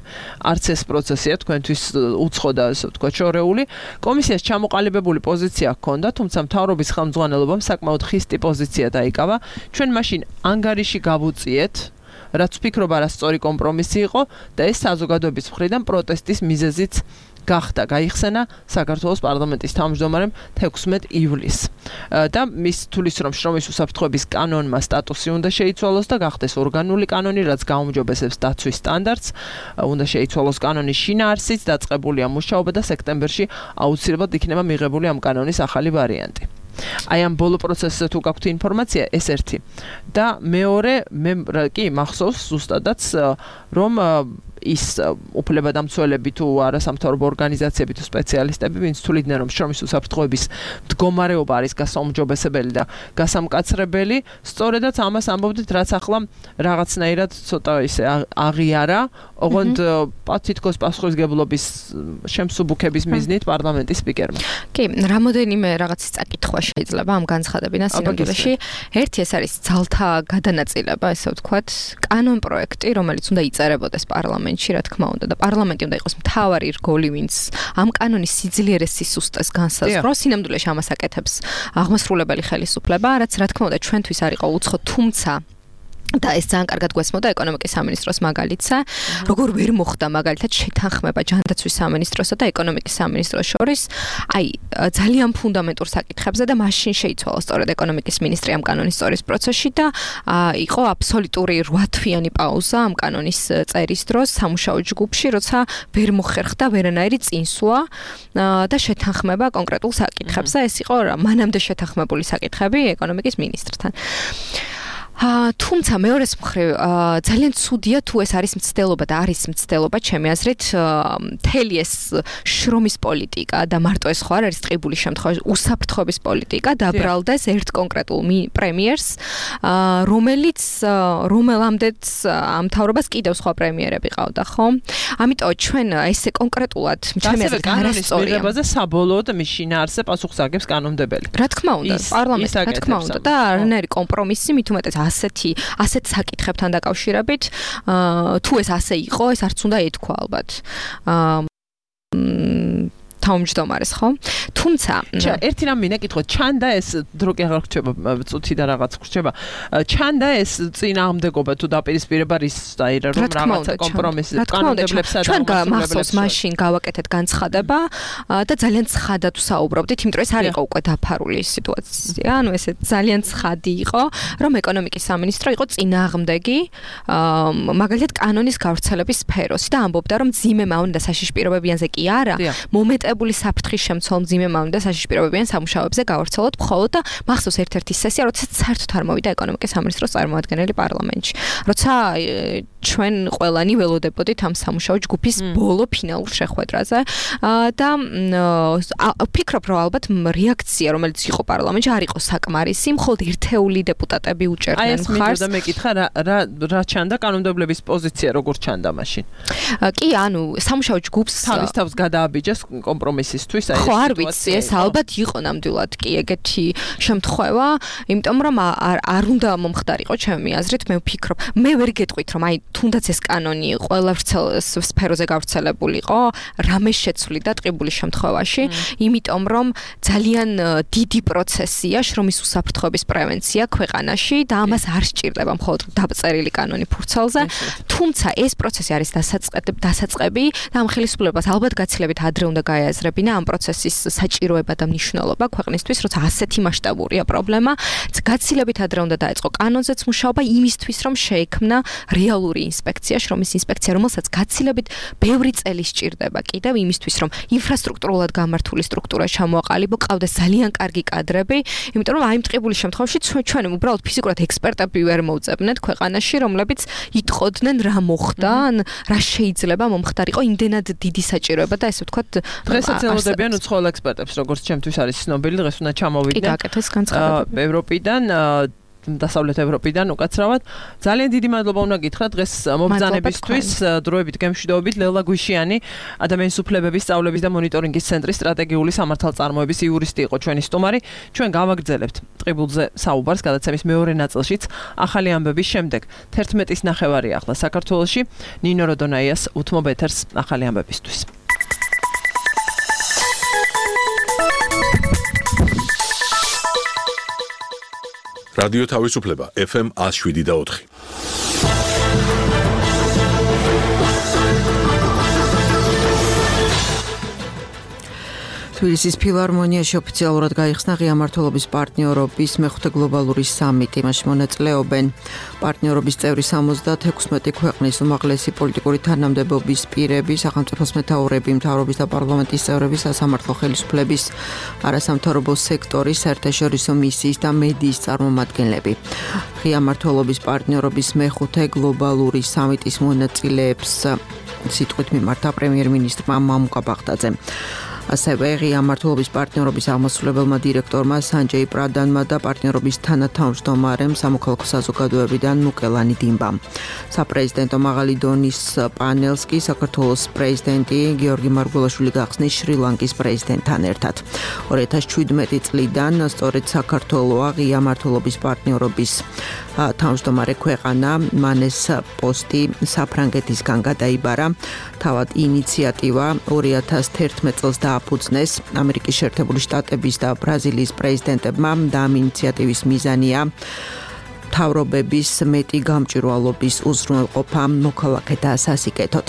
არც ეს პროცესია თქვენთვის უცხო და ასე ვთქვათ შორეული. კომისიას ჩამოყალიბებული პოზიცია ჰქონდა, თუმცა მთავრობის ხელმძღვანელობამ საკმაოდ ხისტი პოზიცია დაიკავა. ჩვენ მაშინ ანგარიში გავუწიეთ, რაც ვფიქრობ არასწორი კომპრომისი იყო და ეს საზოგადოების მხრიდან პროტესტის მიზეზიც გახდა. გაიხსენა საქართველოს პარლამენტის თავმჯდომარემ 16 ივლისს. და მის თulis რომ შრომის უსაფრთხოების კანონმა სტატუსი უნდა შეიცვალოს და გახდეს ორგანული კანონი, რაც გაუმჯობესებს დაცვის სტანდარტს, უნდა შეიცვალოს კანონის შინაარსიც, დაწყებულია მუშაობა და სექტემბერში აუცილებლად იქნება მიღებული ამ კანონის ახალი ვარიანტი. აი ამ ბოლო პროცესზე თუ გაქვთ ინფორმაცია, ეს ერთი. და მეორე, მე კი მახსოვს ზუსტადაც, რომ ის უფლებადამცველები თუ არასამთავრობო ორგანიზაციები თუ სპეციალისტები, ვინც თვლიდნენ, რომ შრომის უსაფრთხოების მდგომარეობა არის გასაუმჯობესებელი და გასამკაცრებელი, სწორედაც ამას ამბობდით, რაც ახლა რაღაცნაირად ცოტა ისე აღიარა, ოღონდ თითქოს პასუხისმგებლობის შემსუბუქების მიზნით პარლამენტის სპიკერმა. კი, რამოდენიმე რაღაცის წაკითხვა შეიძლება ამ განცხადებიდან სინამდვილეში. ერთი ეს არის ძალთა გადანაწილება, ესე ვთქვათ, კანონ პროექტი, რომელიც უნდა იწერებოდეს პარლამენტში, რა თქმა უნდა, და პარლამენტი უნდა იყოს მთავარი რგოლი, ვინც ამ კანონის სიძლიერეს სისუსტეს განსაზღვროს, სინამდვილეში ამას აკეთებს აღმასრულებელი ხელისუფლება, რაც რა თქმა უნდა ჩვენთვის არ იყო უცხო, თუმცა და ეს ძალიან კარგად გვესმოდა ეკონომიკის სამინისტროს მაგალითზე, როგორ ვერ მოხდა მაგალითად შეთანხმება ჯანდაცვის სამინისტროსა და ეკონომიკის სამინისტროს შორის, აი ძალიან ფუნდამენტურ საკითხებზე და მაშინ შეიცვალა სწორედ ეკონომიკის მინისტრი ამ კანონის სწორის პროცესში და იყო აბსოლუტური 8 თვიანი პაუზა ამ კანონის წერის დროს სამუშაო ჯგუფში, როცა ვერ მოხერხდა ვერანაირი წინსვლა და შეთანხმება კონკრეტულ საკითხებზე, ეს იყო მანამდე შეთანხმებული საკითხები ეკონომიკის მინისტრთან. თუმცა მეორეს მხრივ ძალიან ცუდია თუ ეს არის მცდელობა და არის მცდელობა ჩემი აზრით მთელი ეს შრომის პოლიტიკა და მარტო ეს ხო არ არის ტყიბულის შემთხვევაში უსაფრთხოების პოლიტიკა დაბრალდეს ერთ კონკრეტულ პრემიერს რომელამდეც ამ მთავრობას კიდევ სხვა პრემიერები ყავდა ხო ამიტომ ჩვენ ესე კონკრეტულად ჩემი აზრით არასწორია მიღებაზე საბოლოოდ მის შინაარსზე პასუხს აგებს კანონმდებელი რა თქმა უნდა პარლამენტი რა თქმა უნდა და არანაირი კომპრომისი მით უმეტეს ასეთ საკითხებთან დაკავშირებით თუ ეს ასე იყო ეს არც უნდა ეთქვა ალბათ თავმჯდომარეს ხო თუმცა ერთი რამ მინდა კითხოთ ჩანდა ეს დრო კი აღარ გრჩება წუთი და რაღაც გრჩება ჩანდა ეს წინააღმდეგობა თუ დაპირისპირება რის დაირა რომ რაღაცა კომპრომისი კანონმდებლებსა და ჩვენ მახსოვს მაშინ გავაკეთეთ განცხადება და ძალიან ცხადად ვსაუბრობდით იმიტომ რომ ეს არ იყო უკვე დაფარული სიტუაცია ანუ ესე ძალიან ცხადი იყო რომ ეკონომიკის სამინისტრო იყო წინააღმდეგი მაგალითად კანონის გავრცელების სფეროსი და ამბობდა რომ ძიმე მავნდა საშიშპირებებიანზე კი არა მომეტებული საფრთხის შემცველ ძიმე მავნდა საშიშპირებებიან სამუშაოებზე გავარცელოთ მხოლოდ და მახსოვს ერთ-ერთი სესია როდესაც საერთოდ არ მოვიდა ეკონომიკის სამინისტროს წარმომადგენელი პარლამენტში როცა ჩვენ ყველანი ველოდებოდით ამ სამუშაო ჯგუფის ბოლო ფინალურ შეხვედრაზე და ვფიქრობ რომ ალბათ რეაქცია რომელიც იყო პარლამენტში არ იყო საკმარისი მხოლოდ ერთეული დეპუტატები უჭერდნენ მხარს და მეკითხა რა ჩანდა კანონმდებლების პოზიცია როგორ ჩანდა მაშინ კი ანუ სამუშაო ჯგუფს თავის თავს გადააბიჯეს კომპრომისისთვის ხო არ ვიცი ეს ალბათ იყო ნამდვილად კი ეგეთი შემთხვევა იმიტომ რომ არ უნდა მომხდარიყო ჩემი აზრით მე ვფიქრობ მე ვერ გეტყვით რომ აი თუნდაც ეს კანონი ყველა სფეროზე გავრცელებულიყო რამე შეცვლიდა ტყიბულის შემთხვევაში იმიტომ რომ ძალიან დიდი პროცესია შრომის უსაფრთხოების პრევენცია ქვეყანაში და ამას არ სჭირდება მხოლოდ დაწერილი კანონი ფურცელზე თუმცა ეს პროცესი არის დასაწყები და ამ ხელისუფლებას ალბათ გაცილებით ადრე უნდა გაეაზრებინა ამ პროცესის საჭიროება და მნიშვნელობა ქვეყნისთვის როცა ასეთი მასშტაბურია პრობლემა გაცილებით ადრე უნდა დაეწყო კანონზეც მუშაობა იმისთვის რომ შეექმნა რეალური ინსპექცია შრომის ინსპექცია რომელსაც გაცილებით ბევრი წელი სჭირდება კიდევ იმისთვის რომ ინფრასტრუქტურულად გამართული სტრუქტურა ჩამოაყალიბო ყავდეს ძალიან კარგი კადრები იმიტომ რომ აი ტყიბულის შემთხვევაში ჩვენ უბრალოდ ფიზიკურად ექსპერტები ვერ მოვწებნეთ ქვეყანაში რომლებიც იტყოდნენ რა მოხდა ან რა შეიძლება მომხდარიყო იმდენად დიდი საჭიროება და ესე ვთქვათ დღესაც ელოდებიან უცხოელ ექსპერტებს როგორც ჩემთვის არის ცნობილი დღეს უნდა ჩამოვიდნენ კი გაკეთეს განცხადებები ევროპიდან დასავლეთ ევროპიდან უკაცრავად ძალიან დიდი მადლობა უნდა გითხრათ დღეს მობრძანებისთვის დროებით გემშვიდობით ლელა გვიშიანი ადამიანის უფლებების სწავლების და მონიტორინგის ცენტრის სტრატეგიული სამართალწარმოების იურისტი იყო ჩვენი სტუმარი ჩვენ გავაგრძელებთ ტყიბულზე საუბარს გადაცემის მეორე ნაწილშიც ახალი ამბების შემდეგ 11:30 ახლა საქართველოში ნინო როდონაიას უთმობ ეთერს ახალი ამბებისთვის რადიო თავისუფლება FM 107.4 თბილისის ფილარმონიაში ოფიციალურად გაიხსნა ღია მმართველობის პარტნიორობის მეხუთე გლობალური სამიტი. მასში მონაწილეობენ პარტნიორობის წევრი 76 ქვეყნის უმაღლესი პოლიტიკური თანამდებობის პირები, სახელმწიფოს მეთაურები, მთავრობის და პარლამენტის წევრები, სასამართლო ხელისუფლების, არასამთავრობო სექტორის, საერთაშორისო მისიის და მედიის წარმომადგენლები. ღია მმართველობის პარტნიორობის მეხუთე გლობალური სამიტის მონაწილეებს სიტყვით მიმართა პრემიერ-მინისტრმა მამუკა ბაღდაძემ. ასევე ღია მმართველობის პარტნიორობის აღმასრულებელმა დირექტორმა სანჯეი პრადანმა და პარტნიორობის თანათავმჯდომარემ სამოქალაქო საზოგადოებიდან მუკელანი დინბამ. საპრეზიდენტო მაღალი დონის პანელს კი საქართველოს პრეზიდენტი გიორგი მარგველაშვილი გახსნის შრი-ლანკის პრეზიდენტთან ერთად. 2017 წლიდან სწორედ საქართველოა ღია მმართველობის პარტნიორობის თავმჯდომარე ქვეყანა, მან ეს პოსტი საფრანგეთისგან გადაიბარა. თავად ინიციატივა 2011 წელს დააფუძნეს ამერიკის შეერთებული შტატების და ბრაზილიის პრეზიდენტებმა და ამ ინიციატივის მიზანია მთავრობების მეტი გამჭვირვალობის უზრუნველყოფა მოქალაქეთა სასიკეთოდ.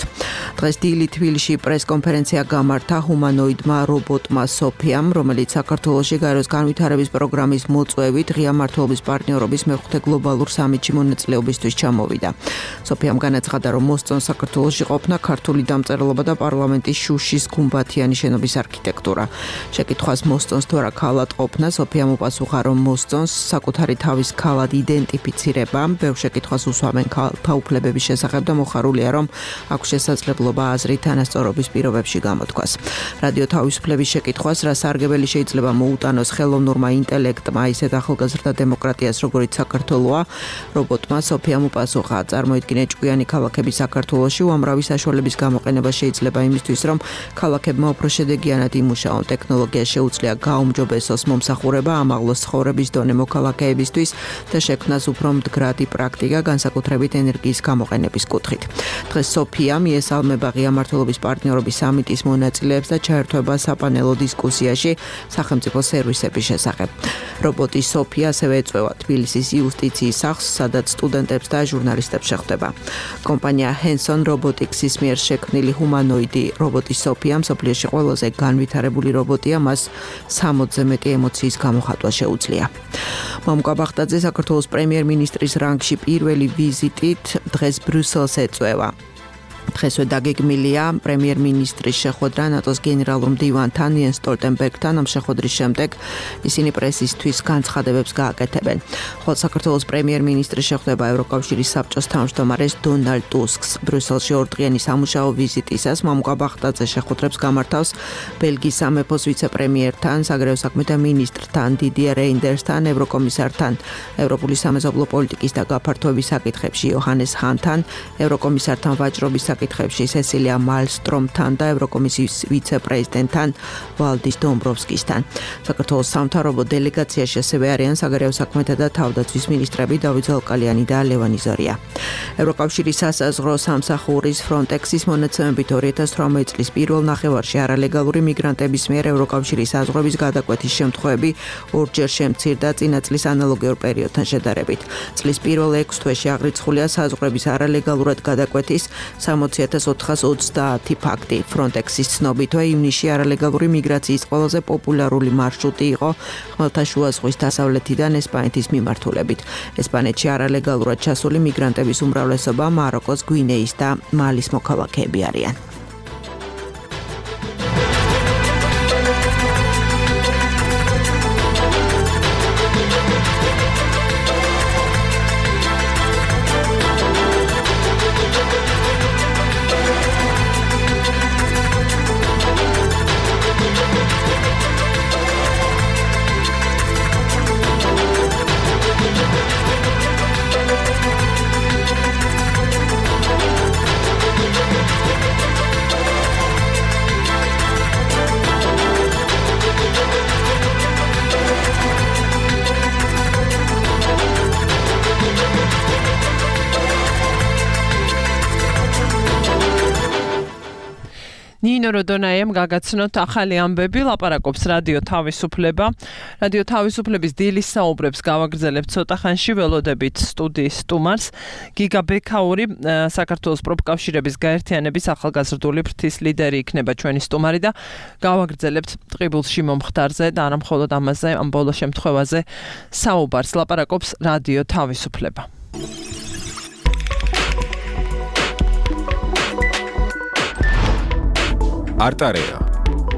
დღეს დილით თბილისში პრესკონფერენცია გამართა ჰუმანოიდმა რობოტმა სოფიამ, რომელიც საქართველოში გაეროს განვითარების პროგრამის მოწვევით ღია მმართველობის პარტნიორობის მეხუთე გლობალურ სამიტში მონაწილეობისთვის ჩამოვიდა. სოფიამ განაცხადა, რომ მოსწონს საქართველოში ყოფნა ქართული დამწერლობა და პარლამენტის შუშის გუმბათიანი შენობის არქიტექტურა. შეკითხვას მოსწონს თუ არა ქალად ყოფნა, სოფიამ უპასუხა, რომ მოსწონს საკუთარი თავის ქალად იდენტიფიცირება, ბევრ შეკითხვას უსვამენ ქალთა უფლებების შესახებ და მოხარულია, რომ აქვს შესაძლებლობა აზრით თანასწორობის პირობებში გამოთქვას. რადიო თავისუფლების შეკითხვას, რა სარგებელი შეიძლება მოუტანოს ხელოვნურმა ინტელექტმა ისეთ ახალგაზრდა დემოკრატიას, როგორიც საქართველოა, რობოტმა სოფიამ უპასუხა, წარმოიდგინე ჭკვიანი ქალაქები საქართველოში, უამრავი საშუალების გამოყენება შეიძლება იმისთვის, რომ ქალაქებმა უფრო შედეგიანად იმუშაონ. ტექნოლოგია შეუძლია გაუმჯობესოს მომსახურება, ამაღლოს ცხოვრების დონე მოქალაქეებისთვის და შექმნას უფრო მდგრადი პრაქტიკა, განსაკუთრებით ენერგიის გამოყენების კუთხით. დღეს სოფია მიესალმება ღია მმართველობის პარტნიორობის სამიტის მონაწილეებს და ჩაერთვება საპანელო დისკუსიაში სახელმწიფო სერვისების შესახებ. რობოტი სოფია ასევე ეწვევა თბილისის იუსტიციის სახლს, სადაც სტუდენტებს და ჟურნალისტებს შეხვდება. კომპანია Henson Robotics-ის მიერ შექმნილი ჰუმანოიდი რობოტი სოფია მსოფლიოში ყველაზე განვითარებული რობოტია, მას 60-ზე მეტი ემოციის გამოხატვა შეუძლია. მამუკა ბაღდაძე საქართველოს პრემიერ-მინისტრის რანგში პირველი ვიზიტით დღეს ბრიუსელს ეწვევა. დღესვე დაგეგმილია პრემიერ-მინისტრის შეხვედრა ნატოს გენერალურ მდივანთან იენს სტოლტენბერგთან. ამ შეხვედრის შემდეგ ისინი პრესისთვის განცხადებებს გააკეთებენ. ხოლო საქართველოს პრემიერ-მინისტრის შეხვდება ევროკავშირის საბჭოს თავმჯდომარეს დონალდ ტუსკს. ბრიუსელში ორდღიანი სამუშაო ვიზიტისას მამუკა ბაღდაძე შეხვედრებს გამართავს ბელგიის სამეფოს ვიცე-პრემიერთან, საგარეო საქმეთა მინისტრთან, დიდია რეინდერსთან, ევროკომისართან, ევროპული სამეზობლო პოლიტიკის და გაფართოების საკითხებში იოჰანეს ჰანთან, ევროკომისართან ვაჭრობის საკითხებში სესილია მალსტრომთან და ევროკომისიის ვიცე-პრეზიდენტთან ვალდის დომბროვსკისთან. საქართველოს სამთავრობო დელეგაციაში ასევე არიან საგარეო საქმეთა და თავდაცვის მინისტრები დავით ზალკალიანი და ლევან იზორია. ევროკავშირის სასაზღვრო სამსახურის Frontex-ის მონაცემებით 2018 წლის პირველ ნახევარში არალეგალური მიგრანტების მიერ ევროკავშირის საზღვრების გადაკვეთის შემთხვევები ორჯერ შემცირდა წინა წლის ანალოგიურ პერიოდთან შედარებით. წლის პირველ 6 თვეში აღრიცხულია საზღვრების არალეგალურად გადაკვეთის 60,430 ფაქტი. Frontex-ის ცნობით ივნისში არალეგალური მიგრაციის ყველაზე პოპულარული მარშრუტი იყო ხმელთაშუა ზღვის დასავლეთიდან ესპანეთის მიმართულებით. ესპანეთში არალეგალურად ჩასული მიგრანტების უმრავლესობა მაროკოს, გვინეის და მალის მოქალაქეები არიან. ნინო როდონაიამ გაგაცნოთ ახალი ამბები, ლაპარაკობს რადიო თავისუფლება. რადიო თავისუფლების დილის საუბრებს გავაგრძელებთ ცოტა ხანში, ველოდებით სტუდიის სტუმარს. გიგა ბექაური, საქართველოს პროფკავშირების გაერთიანების ახალგაზრდული ფრთის ლიდერი იქნება ჩვენი სტუმარი და გავაგრძელებთ ტყიბულში მომხდარზე და არა მხოლოდ ამაზე, ამ ბოლო შემთხვევაზე საუბარს. ლაპარაკობს რადიო თავისუფლება. არტარეა.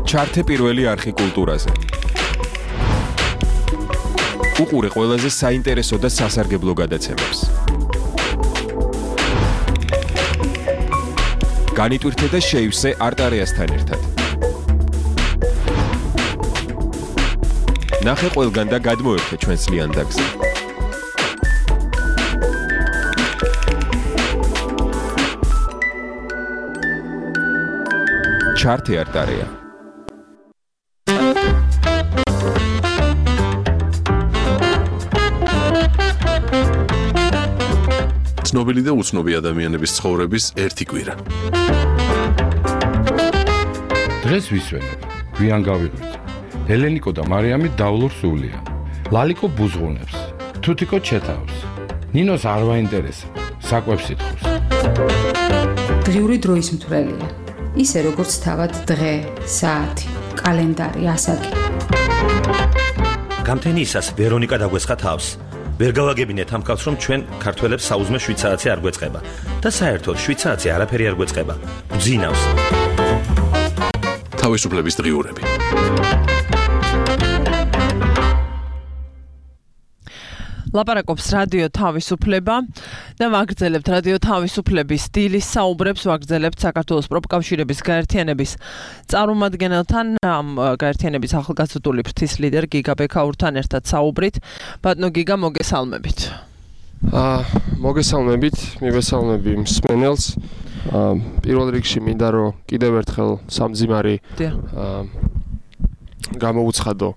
ჩართე პირველი არხი კულტურაზე. უყურე ყველაზე საინტერესო და სასარგებლო გადაცემებს. განიტვირთე და შეივსე არტარეასთან ერთად. ნახე ყველგან და გადმოერთე ჩვენს ლიანდაგზე. ჩართე არტარეა. ცნობილი და უცნობი ადამიანების ცხოვრების ერთი კვირა. დღეს ვისვენებ, გვიან გავიღვიძე. ელენიკო და მარიამი დავლურ სულია. ლალიკო ბუზღუნებს, თუთიკო ჩეთავს. ნინოს არ ვაინტერესებს, საკვებს ითხოვს. დღიური დროის მთვრელია. ისე როგორც თავად დღე, საათი, კალენდარი, ასაკი. გამთენიისას ვერონიკა დაგვესხა თავს. ვერ გავაგებინეთ ამ კაცს, რომ ჩვენ ქართველებს საუზმე 7 საათი არ გვეწყება და საერთოდ 7 საათი არაფერი არ გვეწყება. გძინავს. თავისუფლების დღიურები. ლაპარაკობს რადიო თავისუფლება და ვაგრძელებთ რადიო თავისუფლების დილის საუბრებს, ვაგრძელებთ საქართველოს პროფკავშირების გაერთიანების წარმომადგენელთან, ამ გაერთიანების ახალგაზრდული ფრთის ლიდერ გიგა ბექაურთან ერთად საუბრით. ბატონო გიგა, მოგესალმებით. მოგესალმებით, მივესალმები მსმენელს. პირველ რიგში მინდა რომ კიდევ ერთხელ სამძიმარი გამოუცხადო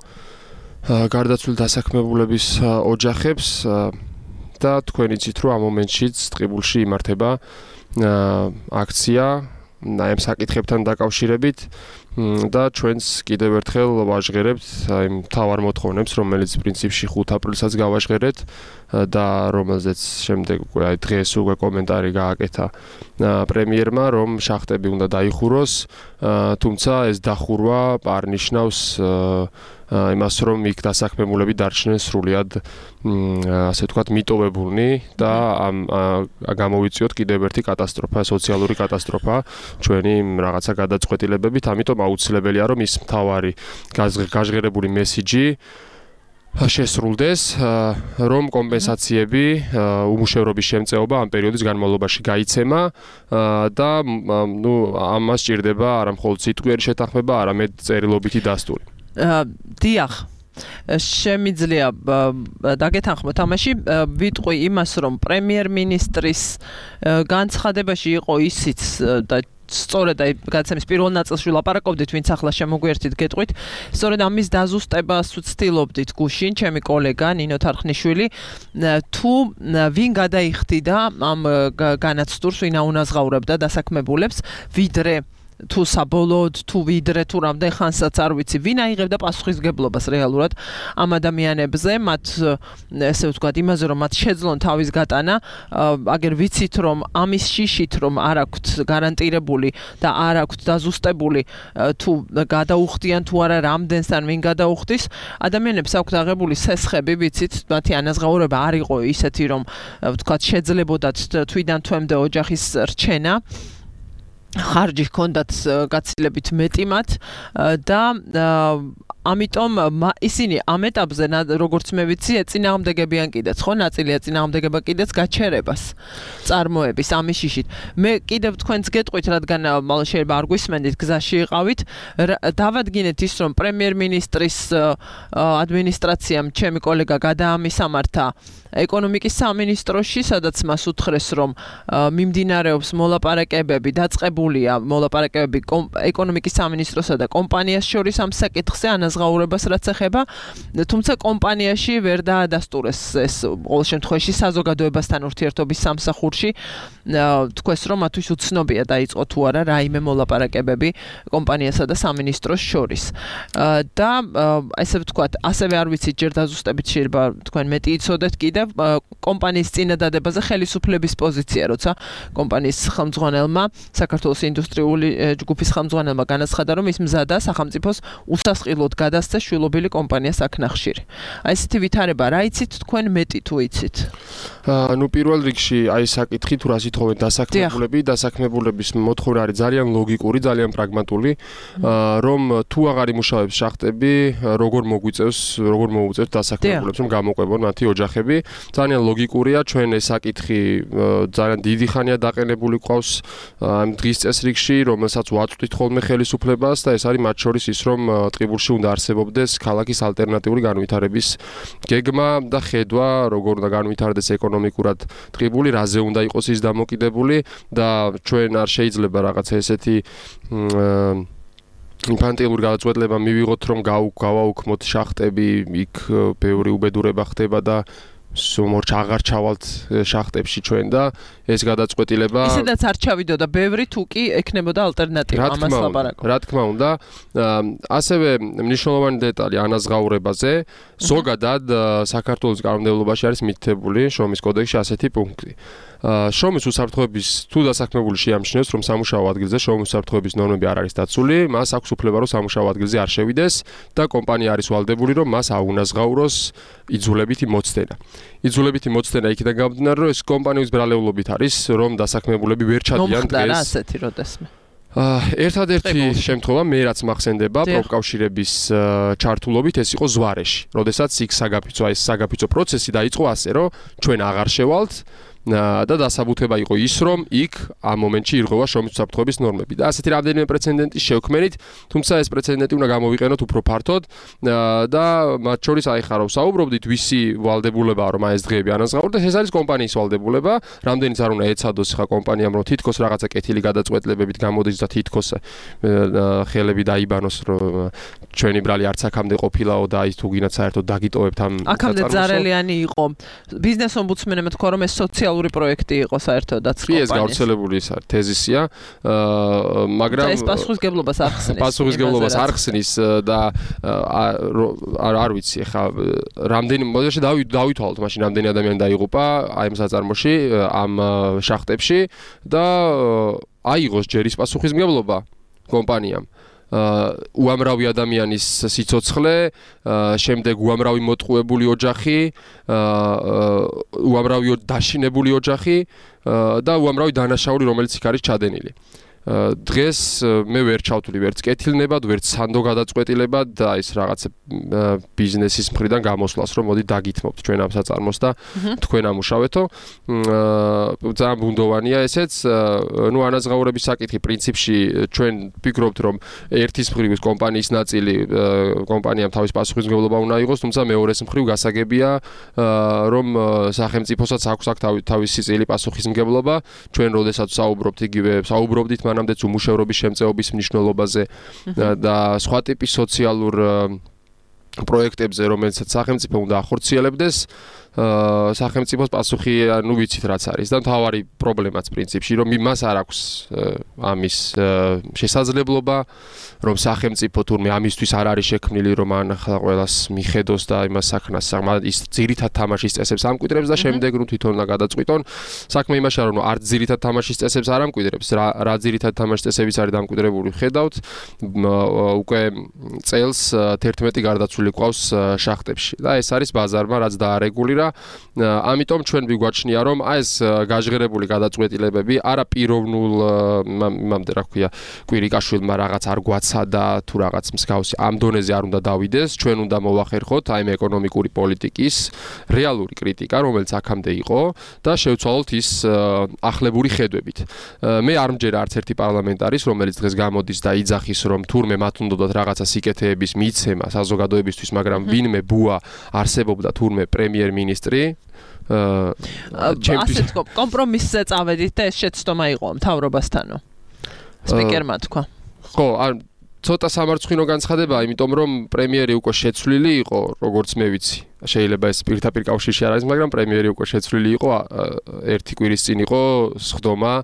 გარდაცვლილ დასაქმებულების ოჯახებს და თქვენ იცით რომ ამ მომენტშიც ტყიბულში იმართება აქცია ამ საკითხებთან დაკავშირებით და ჩვენს კიდევ ერთხელ ვაჟღერებთ აი მთავარ მოთხოვნებს, რომელიც პრინციპში 5 აპრილსაც გავაჟღერეთ და რომელზეც შემდეგ უკვე აი დღეს უკვე კომენტარი გააკეთა პრემიერმა, რომ შახტები უნდა დაიხუროს, თუმცა ეს დახურვა არ ნიშნავს იმას, რომ იქ დასაქმებულები დარჩნენ სრულიად ასე ვთქვათ მიტოვებულნი და გამოვიწიოთ კიდევ ერთი კატასტროფა, სოციალური კატასტროფა ჩვენი რაღაცა გადაწყვეტილებებით, ამიტომ აუცილებელია რომ ის მთავარი გაჟღერებული მესიჯი შესრულდეს, რომ კომპენსაციები, უმუშევრობის შემწეობა ამ პერიოდის განმავლობაში გაიცემა და ამას სჭირდება არა მხოლოდ სიტყვიერი შეთანხმება, არამედ წერილობითი დასტური. დიახ. შემიძლია დაგეთანხმოთ ამაში ვიტყვი იმას რომ პრემიერ-მინისტრის განცხადებაში იყო ისიც და სწორედ აი გადაცემის პირველ ნაწილში ვლაპარაკობდით, ვინც ახლა შემოგვიერთით გეტყვით, სწორედ ამის დაზუსტებას ვცდილობდით გუშინ, ჩემი კოლეგა ნინო თარხნიშვილი, თუ ვინ გადაიხდიდა ამ განაცდურს, ვინ აუნაზღაურებდა დასაქმებულებს, ვიდრე თუ საბოლოოდ თუ ვიდრე თუ რამდენ ხანსაც არ ვიცი ვინ აიღებდა პასუხისმგებლობას რეალურად ამ ადამიანებზე მათ ესე ვთქვათ იმაზე რომ მათ შეძლონ თავის გატანა აგერ ვიცით რომ ამის შიშით რომ არ აქვთ გარანტირებული და არ აქვთ დაზუსტებული თუ გადაუხდიან თუ არა რამდენს ან ვინ გადაუხდის ადამიანებს აქვთ აღებული სესხები ვიცით მათი ანაზღაურება არ იყო ისეთი რომ ვთქვათ შეძლებოდათ თვიდან თვემდე ოჯახის რჩენა ხარჯი ჰქონდათ გაცილებით მეტი მათ და ამიტომ ისინი ამ ეტაპზე როგორც მე ვიცი ეწინააღმდეგებიან კიდეც ხო ნაწილი ეწინააღმდეგება კიდეც გაჩერებას წარმოების ამის შიშით მე კიდევ თქვენს გეტყვით რადგან შეიძლება არ გვისმენდით გზაში იყავით დავადგინეთ ის რომ პრემიერ-მინისტრის ადმინისტრაციამ ჩემი კოლეგა გადაამისამართა ეკონომიკის სამინისტროში სადაც მას უთხრეს რომ მიმდინარეობს მოლაპარაკებები დაწყებულია მოლაპარაკებები ეკონომიკის სამინისტროსა და კომპანიას შორის ამ საკითხზე ანაზღაურებას რაც ეხება თუმცა კომპანიაში ვერ დაადასტურეს ეს ყოველ შემთხვევაში საზოგადოებასთან ურთიერთობის სამსახურში თქვეს რომ მათთვის უცნობია დაიწყო თუ არა რაიმე მოლაპარაკებები კომპანიასა და სამინისტროს შორის და ესე ვთქვათ ასევე არ ვიცით ჯერ დაზუსტებით შეიძლება თქვენ მეტი იცოდეთ კიდევ კომპანიის წინადადებაზე ხელისუფლების პოზიცია როცა კომპანიის ხელმძღვანელმა საქართველოს ინდუსტრიული ჯგუფის ხელმძღვანელმა განაცხადა რომ ის მზადა სახელმწიფოს უსასყიდლოდ გადასცეს შვილობილი კომპანიას აქნახშირი. აი ესეთი ვითარება რა იცით თქვენ მეტი თუ იცით? ნუ პირველ რიგში აი საკითხი თუ რას ითხოვენ დასაქმებულების მოთხოვნა არის ძალიან ლოგიკური, ძალიან პრაგმატული, რომ თუ აღარ იმუშავებს შახტები, როგორ მოუწევს დასაქმებულებს რომ გამოყვებონ მათი ოჯახები. ძალიან ლოგიკურია, ჩვენ ეს საკითხი ძალიან დიდი ხანია დაყენებული ყავს ამ დღის წესრიგში, რომელსაც ვაწვდით ხოლმე ხელისუფლებას და ეს არის მათ შორის ის რომ ტყიბულში უნდა არსებობდეს ქალაქის ალტერნატიული განვითარების გეგმა და ხედვა, როგორ უნდა განვითარდეს ეკონომიკურად ტყიბული, რაზე უნდა იყოს ის დამოკიდებული და ჩვენ არ შეიძლება რაღაცა ესეთი ინფანტილური გადაწყვეტილება მივიღოთ რომ გავაუქმოთ შახტები, იქ ბევრი უბედურება ხდება და სუმორჩ აღარ ჩავალთ შახტებში ჩვენ და ეს გადაწყვეტილება ისედაც არ ჩავიდოდა ბევრი თუ კი ექნებოდა ალტერნატივა ამას ლაპარაკობ. რა თქმა უნდა, ასევე მნიშვნელოვანი დეტალი ანაზღაურებაზე ზოგადად საქართველოს კანონმდებლობაში არის მითითებული შრომის კოდექსში ასეთი პუნქტი. შრომის უსაფრთხოების თუ დასაქმებული შეამჩნევს რომ სამუშაო ადგილზე შრომის უსაფრთხოების ნორმები არ არის დაცული, მას აქვს უფლება რომ სამუშაო ადგილზე არ შევიდეს და კომპანია არის ვალდებული რომ მას აუნაზღაუროს იძულებითი მოცდენა. იძულებითი მოცდენა იქიდან გამომდინარე რომ ეს კომპანიის ბრალეულობით არის რომ დასაქმებულები ვერ ჩადიან დღეს. მომხდარა ასეთი როდესმე. ერთადერთი შემთხვევა მე რაც მახსენდება პროფკავშირების ჩართულობით ეს იყო ზვარეში. როდესაც იქ საგაფიცო პროცესი დაიწყო ასე რომ ჩვენ აღარ შევალთ და დასაბუთება იყო ის რომ იქ ამ მომენტში ირღვევა შრომის უსაფრთხოების ნორმები და ასეთი რამდენიმე პრეცედენტი შევქმენით, თუმცა ეს პრეცედენტი უნდა გამოვიყენოთ უფრო ფართოდ და მათ შორის აი ხარო საუბრობდით ვისი ვალდებულებაა რომ ეს დღეები ანაზღაურდეს, ეს არის კომპანიის ვალდებულება, რამდენიც არ უნდა ეცადოს ხა კომპანიამ რომ თითქოს რაღაცა კეთილი გადაწყვეტილებებით გამოდის და თითქოს ხელები დაიბანოს რომ ჩვენი ბრალი არც აქამდე ყოფილაო და ის თუ გინდათ საერთოდ დაგიტოვებთ ამ აქამდე ზარელიანი იყო ბიზნეს ომბუდსმენმა თქვა რომ ეს სოციალური პროექტი იყო საერთოდაც კომპანიის. ეს გავრცელებული თეზისია, მაგრამ ეს პასუხისმგებლობას არ ხსნის. პასუხისმგებლობას არ ხსნის და არ ვიცი ხა რამდენი მოდაში დავითვალოთ მაშინ რამდენი ადამიანი დაიღუპა აი ამ საწარმოში, ამ შახტებში და აიღოს ჯერ ის პასუხისმგებლობა კომპანიამ. უამრავი ადამიანის სიცოცხლე, შემდეგ უამრავი მოტყუებული ოჯახი, უამრავი დაშინებული ოჯახი და უამრავი დანაშაული, რომელიც იქ არის ჩადენილი. დღეს მე ვერ ჩავთვლი ვერც კეთილნებად, ვერც სანდო გადაწყვეტილებად და ის რაღაც ბიზნესის მხრიდან გამოსვლას, რომ მოდი დაგითმობთ ჩვენ ამ საწარმოს და თქვენ ამუშავეთო. ძალიან ბუნდოვანია ესეც. ნუ ანაზღაურების საკითხი პრინციპში ჩვენ ვფიქრობთ, რომ ერთის მხრივ კომპანიის ნაწილი კომპანიამ თავის პასუხისმგებლობა უნდა იყოს, თუმცა მეორეს მხრივ გასაგებია, რომ სახელმწიფოსაც აქვს თავისი წილი პასუხისმგებლობა. ჩვენ როდესაც საუბრობდით მანამდეც უმუშევრობის შემწეობის მნიშვნელობაზე და სხვა ტიპის სოციალურ პროექტებზე, რომელსაც სახელმწიფო უნდა ახორციელებდეს, სახელმწიფოს პასუხი ნუ ვიცით რაც არის და მთავარი პრობლემაც პრინციპში რომ მას არ აქვს ამის შესაძლებლობა რომ სახელმწიფო თურმე ამისთვის არ არის შექმნილი რომ ან ახლა ყველას მიხედოს და იმას საქმას ის ძირითად თამაშის წესებს ამკვიდრებს და შემდეგ ნუ თვითონ უნდა გადაწყვიტონ საქმე იმაშია რომ არც ძირითად თამაშის წესებს არ ამკვიდრებს რა ძირითად თამაშის წესებიც არის დამკვიდრებული ხედავთ უკვე წელს 11 გარდაცვლილი ყავს შახტებში და ეს არის ბაზარმა რაც დაარეგულირა ამიტომ ჩვენ ვიგვაჩნია რომ ეს გაჟღერებული გადაწყვეტილებები არა პიროვნულ იმამდე რა ქვია კვირიკაშვილმა რაღაც არ გვაცა და თუ რაღაც მსგავსი ამ დონეზე არ უნდა დავიდეს ჩვენ უნდა მოვახერხოთ აი ეკონომიკური პოლიტიკის რეალური კრიტიკა რომელიც აქამდე იყო და შევცვალოთ ის ახლებური ხედვებით მე არ მჯერა არც ერთი პარლამენტარის რომელიც დღეს გამოდის და იძახის რომ თურმე მათ უნდათ რაღაცა სიკეთეების მიცემა საზოგადოებისთვის მაგრამ ვინმე ბუა არსებობდა თურმე პრემიერ-მინისტრი ასეთ კომპრომისზე წავედით და ეს შეცდომა იყო მთავრობასთანო სპიკერმა თქვა ხო არ ცოტა სამარცხვინო განცხადებაა იმიტომ რომ პრემიერი უკვე შეცვლილი იყო როგორც მე ვიცი შეიძლება ეს პირდაპირ კავშირში არ არის მაგრამ პრემიერი უკვე შეცვლილი იყო ერთი კვირის წინ იყო სხდომა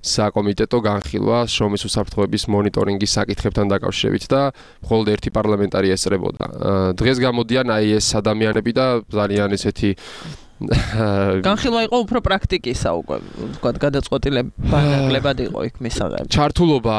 საკომიტეტო განხილვა შრომის უსაფრთხოების მონიტორინგის საკითხებთან დაკავშირებით და მხოლოდ ერთი პარლამენტარი ესწრებოდა დღეს გამოდიან აი ეს ადამიანები და ძალიან ესეთი განხილვა იყო უფრო პრაქტიკისა უკვე ვთქვათ გადაწყვეტილებად იყო იქ მისაღები ჩართულობა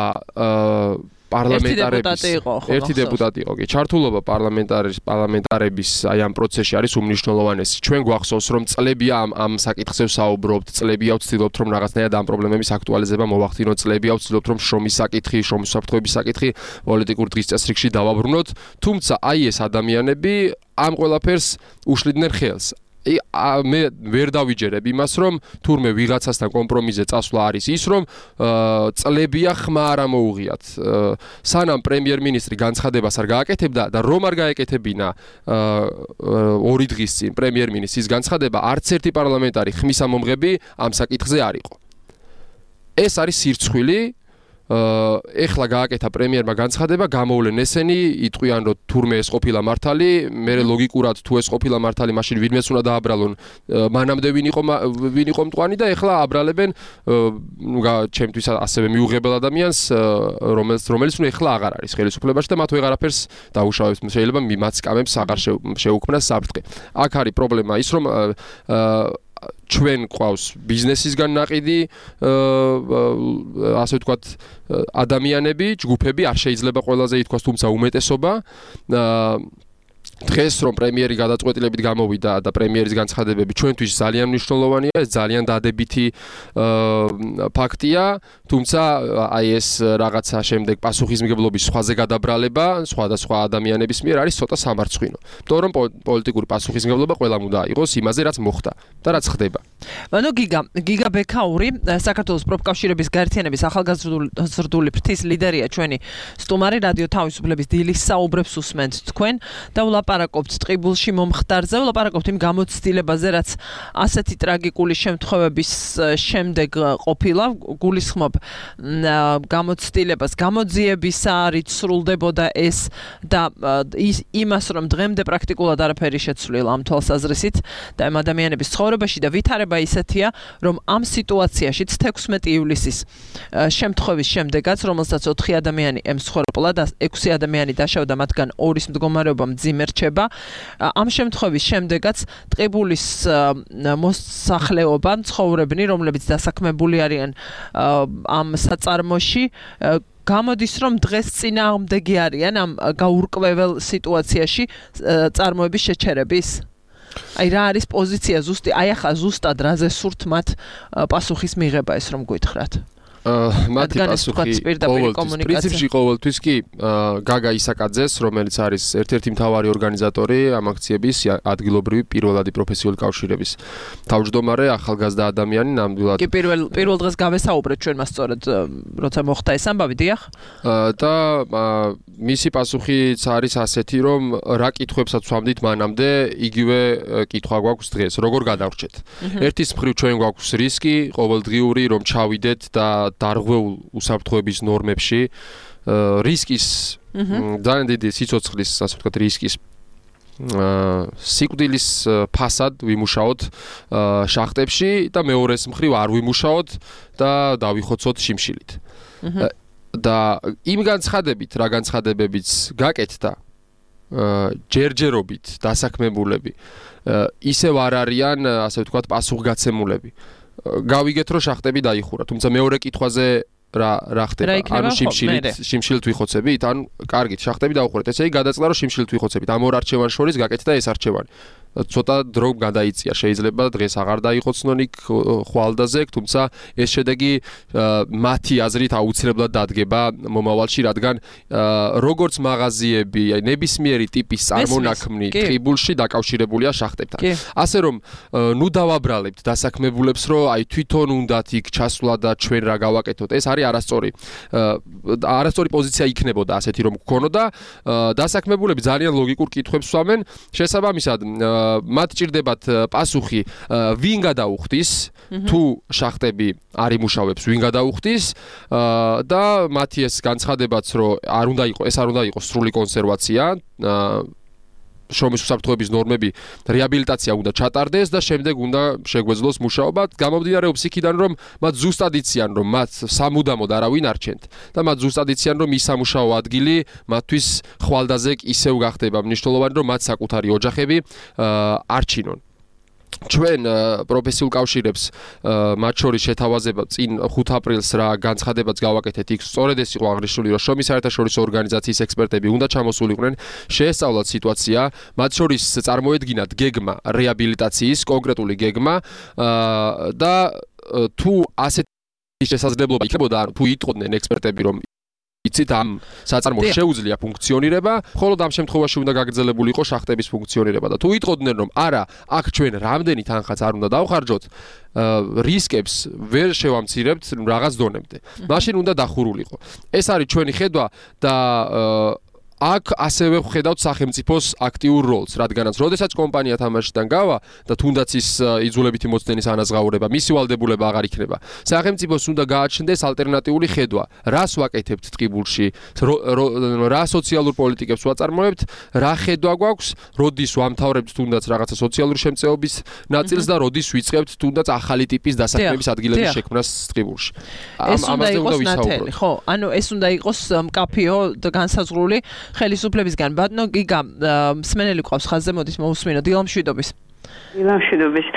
ერთი დეპუტატი იყო კი ჩართულობა პარლამენტარების აი ამ პროცესში არის უმნიშვნელოვანესი ჩვენ გვახსოვს რომ წლებია ამ საკითხზე ვსაუბრობთ წლებია ვცდილობთ რომ რაღაცნაირად ამ პრობლემების აქტუალიზება მოვახდინოთ წლებია ვცდილობთ რომ შრომის საკითხი შრომის უსაფრთხოების საკითხი პოლიტიკურ დღის წესრიგში დავაბრუნოთ თუმცა აი ეს ადამიანები ამ ყველაფერს უშლიდნენ ხელს მე ვერ დავიჯერებ იმას რომ თურმე ვიღაცასთან კომპრომისზე წასვლა არის ის რომ წლებია ხმა არ ამოუღიათ სანამ პრემიერ-მინისტრი განცხადებას არ გააკეთებდა და რომ არ გაეკეთებინა 2 დღის წინ პრემიერ-მინისტრის განცხადება არც ერთი პარლამენტარი ხმის ამომღები ამ საკითხზე არ იყო ეს არის სირცხვილი ეხლა გააკეთა პრემიერმა განცხადება გამოვლენ ესენი იტყვიან რომ თურმე ეს ყოფილა მართალი მე ლოგიკურად თუ ეს ყოფილა მართალი მაშინ ვინმეს უნდა დააბრალონ მანამდე ვინ იყო მტყვანი და ეხლა აბრალებენ ჩემთვის ასევე მიუღებელ ადამიანს რომელიც ნუ ეხლა აღარ არის ხელისუფლებაში და მათ ვეღარაფერს დაუშავებს შეიძლება მიმაც კამებს აღარ შეუქმნას საფრთხე აქ არის პრობლემა ის რომ ჩვენ ყავს ბიზნესისგან ნაყიდი ასე ვთქვათ ადამიანები, ჯგუფები არ შეიძლება ყველაზე ითქვას, თუმცა უმეტესობა დღეს რომ პრემიერი გადაწყვეტილებით გამოვიდა და პრემიერის განცხადებები ჩვენთვის ძალიან მნიშვნელოვანია, ეს ძალიან დადებითი ფაქტია, თუმცა აი ეს რაღაცა შემდეგ პასუხისმგებლობის სხვაზე გადაბრალება სხვადასხვა ადამიანების მიერ არის ცოტა სამარცხვინო. იმიტომ რომ პოლიტიკური პასუხისმგებლობა ყველამ უნდა იყოს იმაზე, რაც მოხდა და რაც ხდება. ანუ გიგა ბექაური, საქართველოს პროფკავშირების გაერთიანების ახალგაზრდული ფრთის ლიდერია ჩვენი სტუმარი რადიო თავისუფლების დილის საუბრებს უსმენთ თქვენ და ვლაპარაკობთ ტყიბულში მომხდარზე, ვლაპარაკობთ იმ გამოცდილებაზე, რაც ასეთი ტრაგიკული შემთხვევების შემდეგ ყოფილა, გულისხმობ გამოცდილებას, გამოძიების არით სრულდებოდა ეს და იმას, რომ დღემდე პრაქტიკულად არაფერი შეცვლილა ამ თვალსაზრისით და ამ ადამიანების ცხოვრებაში და ვითარება ისეთია, რომ ამ სიტუაციაში 16 ივლისის შემთხვევის შემდეგაც, რომელსაც 4 ადამიანი ემსხვერპლა და 6 ადამიანი დაშავდა, მათგან 2-ის მდგომარეობა მძიმე რჩება. ამ შემთხვევის შემდეგაც ტყიბულის მოსახლეობა ცხოვრებნი, რომლებიც დასაქმებული არიან ამ საწარმოში, გამოდის რომ დღეს წინააღმდეგი არიან ამ გაურკვეველ სიტუაციაში წარმოების შეჩერების. აი რა არის პოზიცია ზუსტი, აი ახლა ზუსტად რაზე სურთ მათ პასუხის მიღება ეს რომ გითხრათ. მათი პასუხი პრინციპში ყოველთვის კი გაგა ისაკაძეს, რომელიც არის ერთ-ერთი მთავარი ორგანიზატორი ამ აქციების ადგილობრივი პირველადი პროფესიული კავშირების თავმჯდომარე, ახალგაზრდა ადამიანი ნამდვილად. კი პირველ დღეს გავესაუბრეთ ჩვენ მას სწორედ როცა მოხდა ეს ამბავი, დიახ? და მისი პასუხიც არის ასეთი, რომ რა კითხვებსაც ვამდით მანამდე, იგივე კითხვა გვაქვს დღეს, როგორ გადავრჩეთ. ერთის მხრივ ჩვენ გვაქვს რისკი ყოველდღიური, რომ ჩავიდეთ და დარღვეულ უსაფრთხოების ნორმებში, რისკის ძალიან დიდი სიცოცხლის, ასე ვთქვათ, რისკის სიკვდილის ფასად ვიმუშაოთ შახტებში და მეორეს მხრივ არ ვიმუშაოთ და დავიხოცოთ შიმშილით. და იმ განცხადებით, რა განცხადებებიც გაკეთდა, ჯერჯერობით დასაქმებულები, ისევ არ არიან, ასე ვთქვათ, პასუხგაცემულები. გავიგეთ, რომ შახტები დაიხურა, თუმცა მეორე კითხვაზე რა ხდება? ანუ შიმშილით ვიხოცებით? ანუ კარგით, შახტები დაუხურეთ. ესე იგი გადაწყდა, რომ შიმშილით ვიხოცებით. ამ ორ არჩევანს შორის გაკეთდა ეს არჩევანი. ცოტა დრო გადაიწია, შეიძლება დღეს აღარ დაიხოცნონ იქ ხვალდაზე, თუმცა ეს შედეგი მათი აზრით აუცილებლად დადგება მომავალში, რადგან როგორც მაღაზიები, ნებისმიერი ტიპის წარმონაქმნი ტყიბულში დაკავშირებულია შახტებთან. ასე რომ, ნუ დავაბრალებთ დასაქმებულებს, რომ აი თვითონ უნდათ იქ ჩასვლა და ჩვენ რა გავაკეთოთ. ეს არის არასწორი პოზიცია იქნებოდა ასეთი რომ გქონოდა. დასაქმებულები ძალიან ლოგიკურ კითხვებს სვამენ, შესაბამისად მათ ჭირდებათ პასუხი, ვინ გადაუხდის, თუ შახტები არ იმუშავებს, ვინ გადაუხდის და მათი ეს განცხადებაც, რომ არ უნდა იყოს სრული კონსერვაცია, შრომის უსაფრთხოების ნორმები, რეაბილიტაცია უნდა ჩატარდეს და შემდეგ უნდა შეგვეძლოს მუშაობა. გამომდინარეობს იქიდან, რომ მათ ზუსტად იციან, რომ მათ სამუდამოდ არავინ არჩენთ და მათ ზუსტად იციან, რომ ის სამუშაო ადგილი მათთვის ხვალდაზე ისევ გახდება მნიშვნელოვანი, რომ მათ საკუთარი ოჯახები არჩინონ. ჩვენ პროფესიულ კავშირებს მათ შორის შეთავაზება წინ 5 აპრილს რა განცხადებაც გავაკეთეთ, იქ სწორედ ეს იყო აღნიშნული, რომ შრომის საერთაშორისო ორგანიზაციის ექსპერტები უნდა ჩამოსულიყვნენ, შეესწავლათ სიტუაცია, მათ შორის წარმოედგინათ გეგმა რეაბილიტაციის, კონკრეტული გეგმა და თუ ასეთი შესაძლებლობა იქნებოდა, თუ იტყოდნენ ექსპერტები, რომ იცით ამ საწარმოს შეუძლია ფუნქციონირება, ხოლო ამ შემთხვევაში უნდა გაგრძელებული იყოს შახტების ფუნქციონირება და თუ იტყოდნენ, რომ არა, აქ ჩვენ რამდენი თანხაც არ უნდა დავხარჯოთ, რისკებს ვერ შევამცირებთ რაღაც დონემდე. მაშინ უნდა დახურულიყო. ეს არის ჩვენი ხედვა და აქ ასევე ვხედავთ სახელმწიფოს აქტიურ როლს, რადგანაც როდესაც კომპანია თამაშიდან გავა და თუნდაც ის იძულებითი მოცდენის ანაზღაურება, მისი ვალდებულება აღარ იქნება. სახელმწიფოს უნდა გააჩნდეს ალტერნატიული ხედვა, რას ვაკეთებთ ტყიბულში, რა სოციალურ პოლიტიკებს ვაწარმოებთ, რა ხედვა გვაქვს, როდის ვამთავრებთ თუნდაც რაღაცა სოციალური შემწეობის ნაწილს და როდის ვიწყებთ თუნდაც ახალი ტიპის დასაქმების ადგილების შექმნას ტყიბულში. ამაზე უნდა ვისაუბროთ. ხო, ანუ ეს უნდა იყოს მკაფიო და განსაზღვრული ხელისუფლებისგან. ბატონო გიგა, მსმენელი ყავს ხაზზე, მოდით მოусმინო დილამშვიდობის. დილამშვიდობის.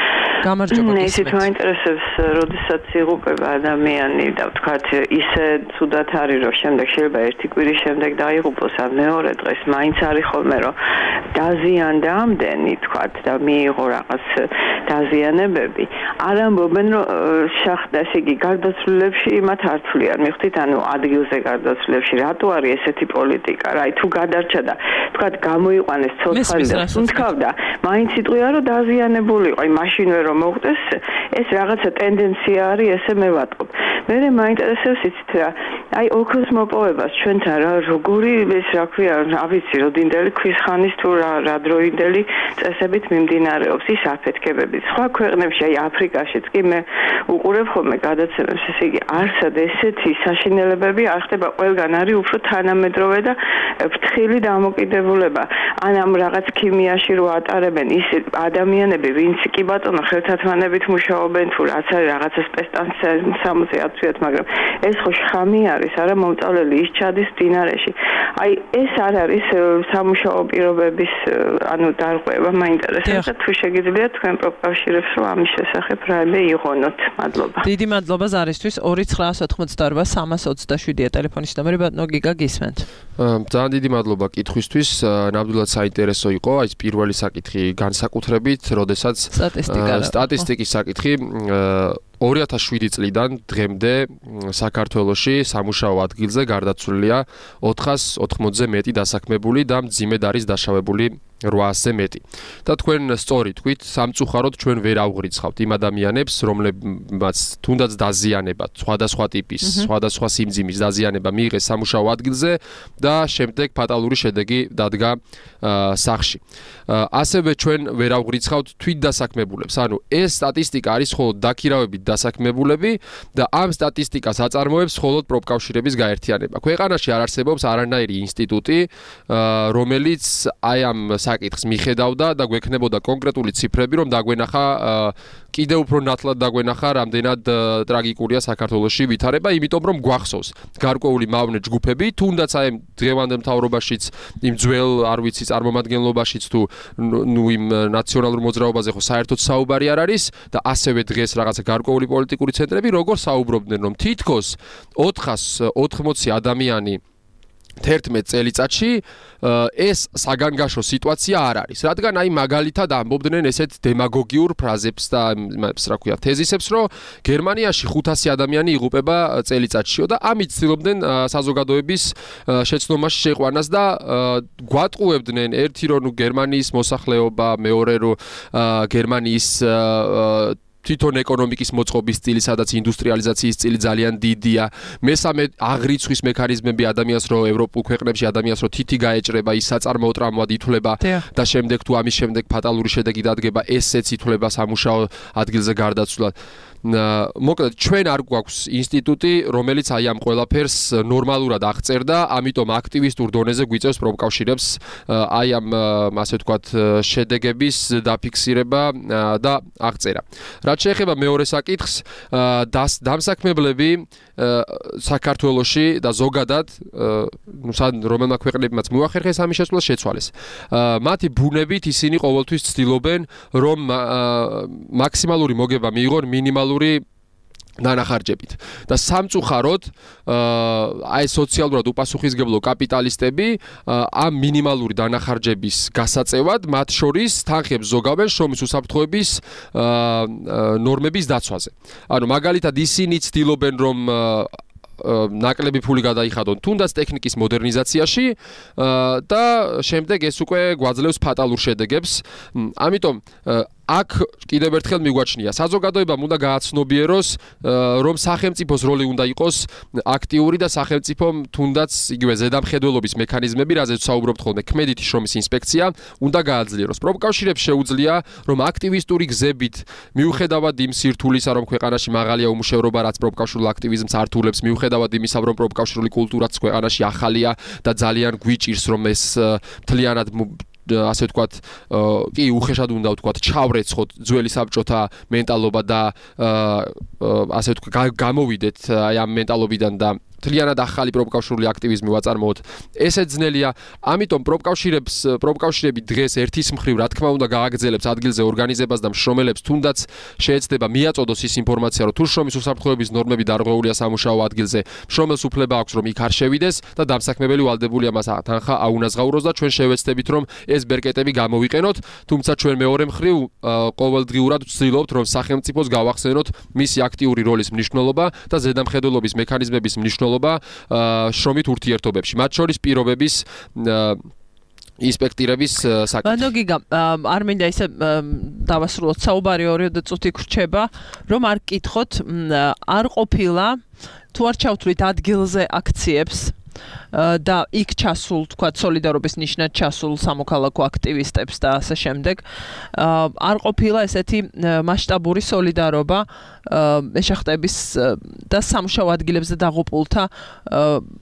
გამარჯობა. ისეთ მაინტერესებს, როდესაც იღუპება ადამიანი და ვთქვათ, ისე ცუდად არის, რომ შემდეგ შეიძლება ერთი კვირის შემდეგ დაიღუპოს, ან მეორე დღეს მაინც არის ხოლმე, რომ დაზიანდა ამდენი, ვთქვათ, და მიიღო რაღაც დაზიანებები. არ ამბობენ, რომ შახტა, ესე იგი, გარდაცვლილებში მათ არ თვლიან, მიხვდით, ანუ ადგილზე გარდაცვლილებში, რატო არის ესეთი პოლიტიკა? რა, თუ გადარჩა და ვთქვათ, გამოიყვანეს ცოცხალი და თუნთქავდა, მაინც იტყვია, რომ დაზიანებული იყო, აი მაშინვე რომ მოხდეს, ეს რაღაცა ტენდენცია არის, ესე მე ვატყობ. მე მაინტერესებს იცით რა, აი ოქროს მოპოვებას ჩვენთან რა, როგორი ეს რა ქვია, რა ვიცი, როდინდელი ქვის ხანის თუ რა დროინდელი წესებით მიმდინარეობს ის აფეთქებები. სხვა ქვეყნებში, აი აფრიკაშიც კი მე უყურებ ხოლმე გადაცემებს, ესე იგი, არსად ესეთი საშინელებები არ ხდება, ყველგან არის უფრო თანამედროვე და ფრთხილი დამოკიდებულება. ან ამ რაღაც ქიმიაში რო ატარებენ ის ადამიანები, ვინც კი ბატონო ხელთათმანებით მუშაობენ თუ რაც არის რაღაცა სპეცსამოცი აწვიათ, მაგრამ ეს ხო შხამი არის, არა მომწავლელი ის ჩადის მდინარეში. აი ეს არ არის სამუშაო პირობების ანუ დარღვევა, მაინტერესებს და თუ შეგიძლიათ თქვენ პროფკავშირებს რომ ამის შესახებ რაიმე იღონოთ. მადლობა. დიდი მადლობა ზარისთვის. 2988327-ია ტელეფონის ნომერი, ბატონო გიგა გისმენთ. ძალიან დიდი მადლობა კითხვისთვის. ნამდვილად საინტერესო იყო აი ეს პირველი საკითხი განსაკუთრებით, როდესაც სტატისტიკის საკითხი 2007 წლიდან დღემდე საქართველოში სამუშაო ადგილზე გარდაცვლილია 480-ზე მეტი დასაქმებული და მძიმედ არის დაშავებული 800-ზე მეტი. და თქვენ სწორი თქვით, სამწუხაროდ ჩვენ ვერ ავღრიცხავთ იმ ადამიანებს, რომლებმაც თუნდაც დაზიანება, სხვადასხვა ტიპის, სხვადასხვა სიმძიმის დაზიანება მიიღეს სამუშაო ადგილზე და შემდეგ ფატალური შედეგი დადგა სახლში. ასევე ჩვენ ვერ ავღრიცხავთ თვითდასაქმებულებს. ანუ ეს სტატისტიკა არის მხოლოდ დაქირავებით დასაქმებულები და ამ სტატისტიკას აწარმოებს მხოლოდ პროფკავშირების გაერთიანება. ქვეყანაში არ არსებობს არანაირი ინსტიტუტი, რომელიც აი ამ საკითხს მიხედავდა და გვექნებოდა კონკრეტული ციფრები, რომ დაგვენახა კიდევ უფრო ნათლად დაგვენახა, რამდენად ტრაგიკულია საქართველოში ვითარება, იმიტომ რომ გვახსოვს გარკვეული მავნე ჯგუფები, თუნდაც აი დღევანდელ მთავრობაშიც, იმ ძველ, არ ვიცი, წარმომადგენლობაშიც თუ იმ ნაციონალურ მოძრაობაზე ხო საერთოდ საუბარი არ არის და ასევე დღეს რაღაცა გარკვეული პოლიტიკური ცენტრები როგორ საუბრობდნენ, რომ თითქოს 480 ადამიანი 11 წელიწადში ეს საგანგაშო სიტუაცია არ არის. რადგან აი მაგალითად ამბობდნენ ესეთ დემაგოგიურ ფრაზებს და რა ქვია, თეზისებს, რომ გერმანიაში 500 ადამიანი იღუპება წელიწადშიო და ამით ცდილობდნენ საზოგადოების შეცდომაში შეყვანას და გვატყუებდნენ ერთი რომ გერმანიის მოსახლეობა, მეორე რომ გერმანიის თვითონ ეკონომიკის მოწყობის სტილი, სადაც ინდუსტრიალიზაციის სტილი ძალიან დიდია. მესამე აღრიცხვის მექანიზმები ადამიანს, რომ ევროპულ ქვეყნებში ადამიანს რომ თითი გაეჭრება, ის საწარმოო ტრამვად ითვლება და შემდეგ თუ ამის შემდეგ ფატალური შედეგი დადგება, ესეც ითვლება სამუშაო ადგილზე გარდაცვლად. მოკლედ ჩვენ არ გვაქვს ინსტიტუტი, რომელიც აი ამ ყველაფერს ნორმალურად აღწერდა, ამიტომ აქტივისტურ დონეზე გვიწევს პროფკავშირებს აი ამ ასე ვთქვათ შედეგების დაფიქსირება და აღწერა. რაც შეეხება მეორე საკითხს, დამსაქმებლები საქართველოში და ზოგადად რომელმა ქვეყნებმაც მოახერხეს ამის შესწვლა შეცვალეს. მათი ბუნებით ისინი ყოველთვის ცდილობენ, რომ მაქსიმალური მოგება მიიღონ მინიმალური დანახარჯებით. და სამწუხაროდ აი სოციალურად უპასუხისმგებლო კაპიტალისტები ამ მინიმალური დანახარჯების გასაწევად მათ შორის თანხებს ზოგავენ შრომის უსაფრთხოების ნორმების დაცვაზე. ანუ მაგალითად ისინი ცდილობენ რომ ნაკლები ფული გადაიხადონ თუნდაც ტექნიკის მოდერნიზაციაში და შემდეგ ეს უკვე გვაძლევს ფატალურ შედეგებს. ამიტომ აქ კიდევ ერთხელ მიგვაჩნია საზოგადოებამ უნდა გააცნობიეროს რომ სახელმწიფოს როლი უნდა იყოს აქტიური და სახელმწიფომ თუნდაც იგივე ზედამხედველობის მექანიზმები, რაზეც საუბრობთ ხოლმე, ქმედითი შრომის ინსპექცია უნდა გააძლიეროს. პროფკავშირებს შეუძლია რომ აქტივისტური გზებით მიუხედავად იმ სირთულისა რომ ქვეყანაში მაღალია უმუშევრობა, რაც პროფკავშირულ აქტივიზმს ართულებს, მიუხედავად იმისა რომ პროფკავშირული კულტურაც ქვეყანაში ახალია და ძალიან გვიჭირს რომ ეს მთლიანად ასე ვთქვათ, კი უხეშად უნდა ვთქვათ, ჩავრეცხოთ ძველი საბჭოთა მენტალობა და ასე ვთქვათ, გამოვიდეთ აი ამ მენტალობიდან და მთლიანად ახალი პროფკავშირული აქტივიზმი ვაწარმოოთ. ესეც ძნელია. ამიტომ პროფკავშირები დღეს ერთის მხრივ რა თქმა უნდა გააგრძელებს ადგილზე ორგანიზებას და მშრომელებს თუნდაც შეეცდება მიაწოდოს ის ინფორმაცია, რომ თუ შრომის უსაფრთხოების ნორმები დარღვეულია სამუშაო ადგილზე, მშრომელს უფლება აქვს რომ იქ არ შევიდეს და დამსაქმებელი ვალდებულია მას თანხა აუნაზღაუროს და ჩვენ შევეცდებით რომ ეს ბერკეტები გამოვიყენოთ, თუმცა ჩვენ მეორე მხრივ ყოველდღიურად ვცდილობთ რომ სახელმწიფოს გავახსენოთ მისი აქტიური როლის მნიშვნელობა და ზედამხედველობის მექანიზმების მნიშვნელობა შრომით ურთიერთობებში, მათ შორის პირობების ინსპექტირების საკითხი. ბანო გიგა, არ მინდა ისე დავასრულოთ საუბარი 2 წუთი გრჩება, რომ არ გკითხოთ, არ ყოფილა თუ არ ჩავთვლით ადგილზე აქციებს და იქ ჩასულ, თქვა, სოლიდარობის ნიშნად ჩასულ სამოქალაქო აქტივისტებს და ასე შემდეგ. არ ყოფილა ესეთი მასშტაბური სოლიდარობა მეშახტების და სამუშაო ადგილებზე დაღუპულთა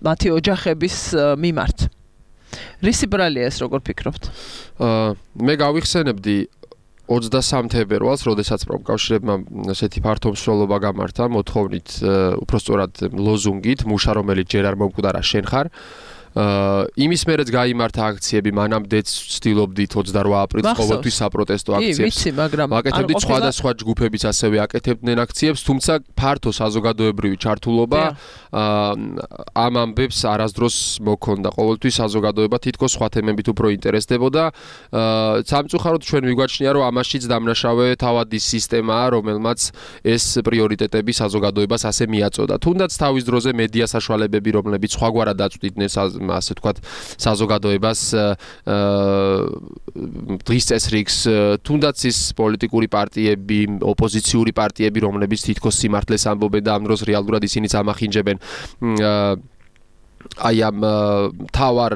მათი ოჯახების მიმართ. რისი ბრალია ეს, როგორ ფიქრობთ? მე გავიხსენებდი 23 თებერვალს, როდესაც პროფკავშირებმა ესეთი ფართო მსვლელობა გამართა, მოთხოვნით, უბრალოდ ლოზუნგით, მუშა რომელიც ჯერ არ მომკვდარა შენ ხარ. იმის მერეც გაიმართა აქციები, მანამდეც ვცდილობდით 28 აპრილს ყოველთვის საპროტესტო აქციებს. ვიცი, მაგრამ აკეთებდით სხვადასხვა ჯგუფებიც ასევე აკეთებდნენ აქციებს, თუმცა ფართო საზოგადოებრივი ჩართულობა ამ ამბებს არასდროს მოქონდა. ყოველთვის საზოგადოება თითქოს სხვა თემებით უფრო ინტერესდებოდა. სამწუხაროდ ჩვენ მიგვაჩნია, რომ ამაშიც დამნაშავე თავად ის სისტემაა, რომელმაც ეს პრიორიტეტები საზოგადოებას ასე მიაწოდა. თუნდაც თავის დროზე მედია საშუალებები, რომლებიც სხვაგვარად აწვდიდნენ ასე ვთქვათ საზოგადოებას დღის წესრიგს, თუნდაც ის პოლიტიკური პარტიები, ოპოზიციური პარტიები, რომლებიც თითქოს სიმართლეს ამბობენ და ამ დროს რეალურად ისინიც ამახინჯებენ აი ამ თავარ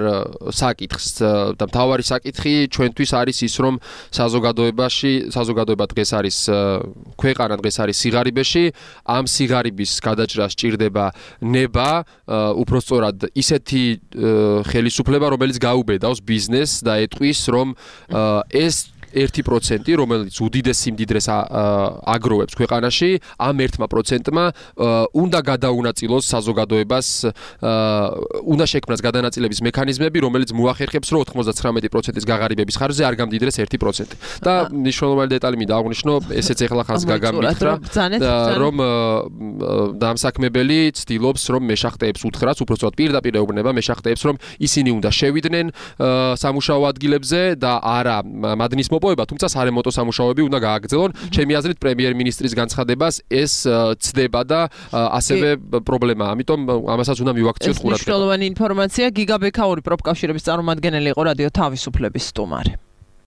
საკითხს და თავარი საკითხი ჩვენთვის არის ის, რომ საზოგადოება დღეს არის ქვეყანა დღეს არის სიღარიბეში, ამ სიღარიბის გადაჭრას სჭირდება ნება, უпростоრად ისეთი ხელისუფლება, რომელიც გაუბედავს ბიზნესს და ეტყვის, რომ ეს 1%, რომელიც უდიდეს სიმდიდრეს აგროვებს ქვეყანაში, ამ 1%-მა უნდა გადაუნაწილოს საზოგადოებას, უნდა შექმნას გადანაწილების მექანიზმები, რომელიც მოახერხებს, რომ 99%-ის გაღარიბების ხარჯზე არ გამდიდრეს 1%. და მნიშვნელოვანი დეტალი მინდა აღვნიშნო, ესეც ეხლა ხანს გაგამიქრა, რომ დამსაქმებელი ცდილობს, რომ მეშახტეებს უთხრას, უпростоრად პირდაპირ ეუბნება მეშახტეებს, რომ ისინი უნდა შევიდნენ სამუშაო ადგილებზე და არა მადნის მოპოვება, თუმცა სარემონტო სამუშაოები უნდა გააგრძელონ. ჩემი აზრით პრემიერ-მინისტრის განცხადებას ეს ცდება და ასევე პრობლემაა. ამიტომ ამასაც უნდა მივაქციოთ ყურადღება. მნიშვნელოვანი ინფორმაცია. გიგაბექაური პროფკავშირების წარმომადგენელი იყო რადიო თავისუფლების სტუმარი.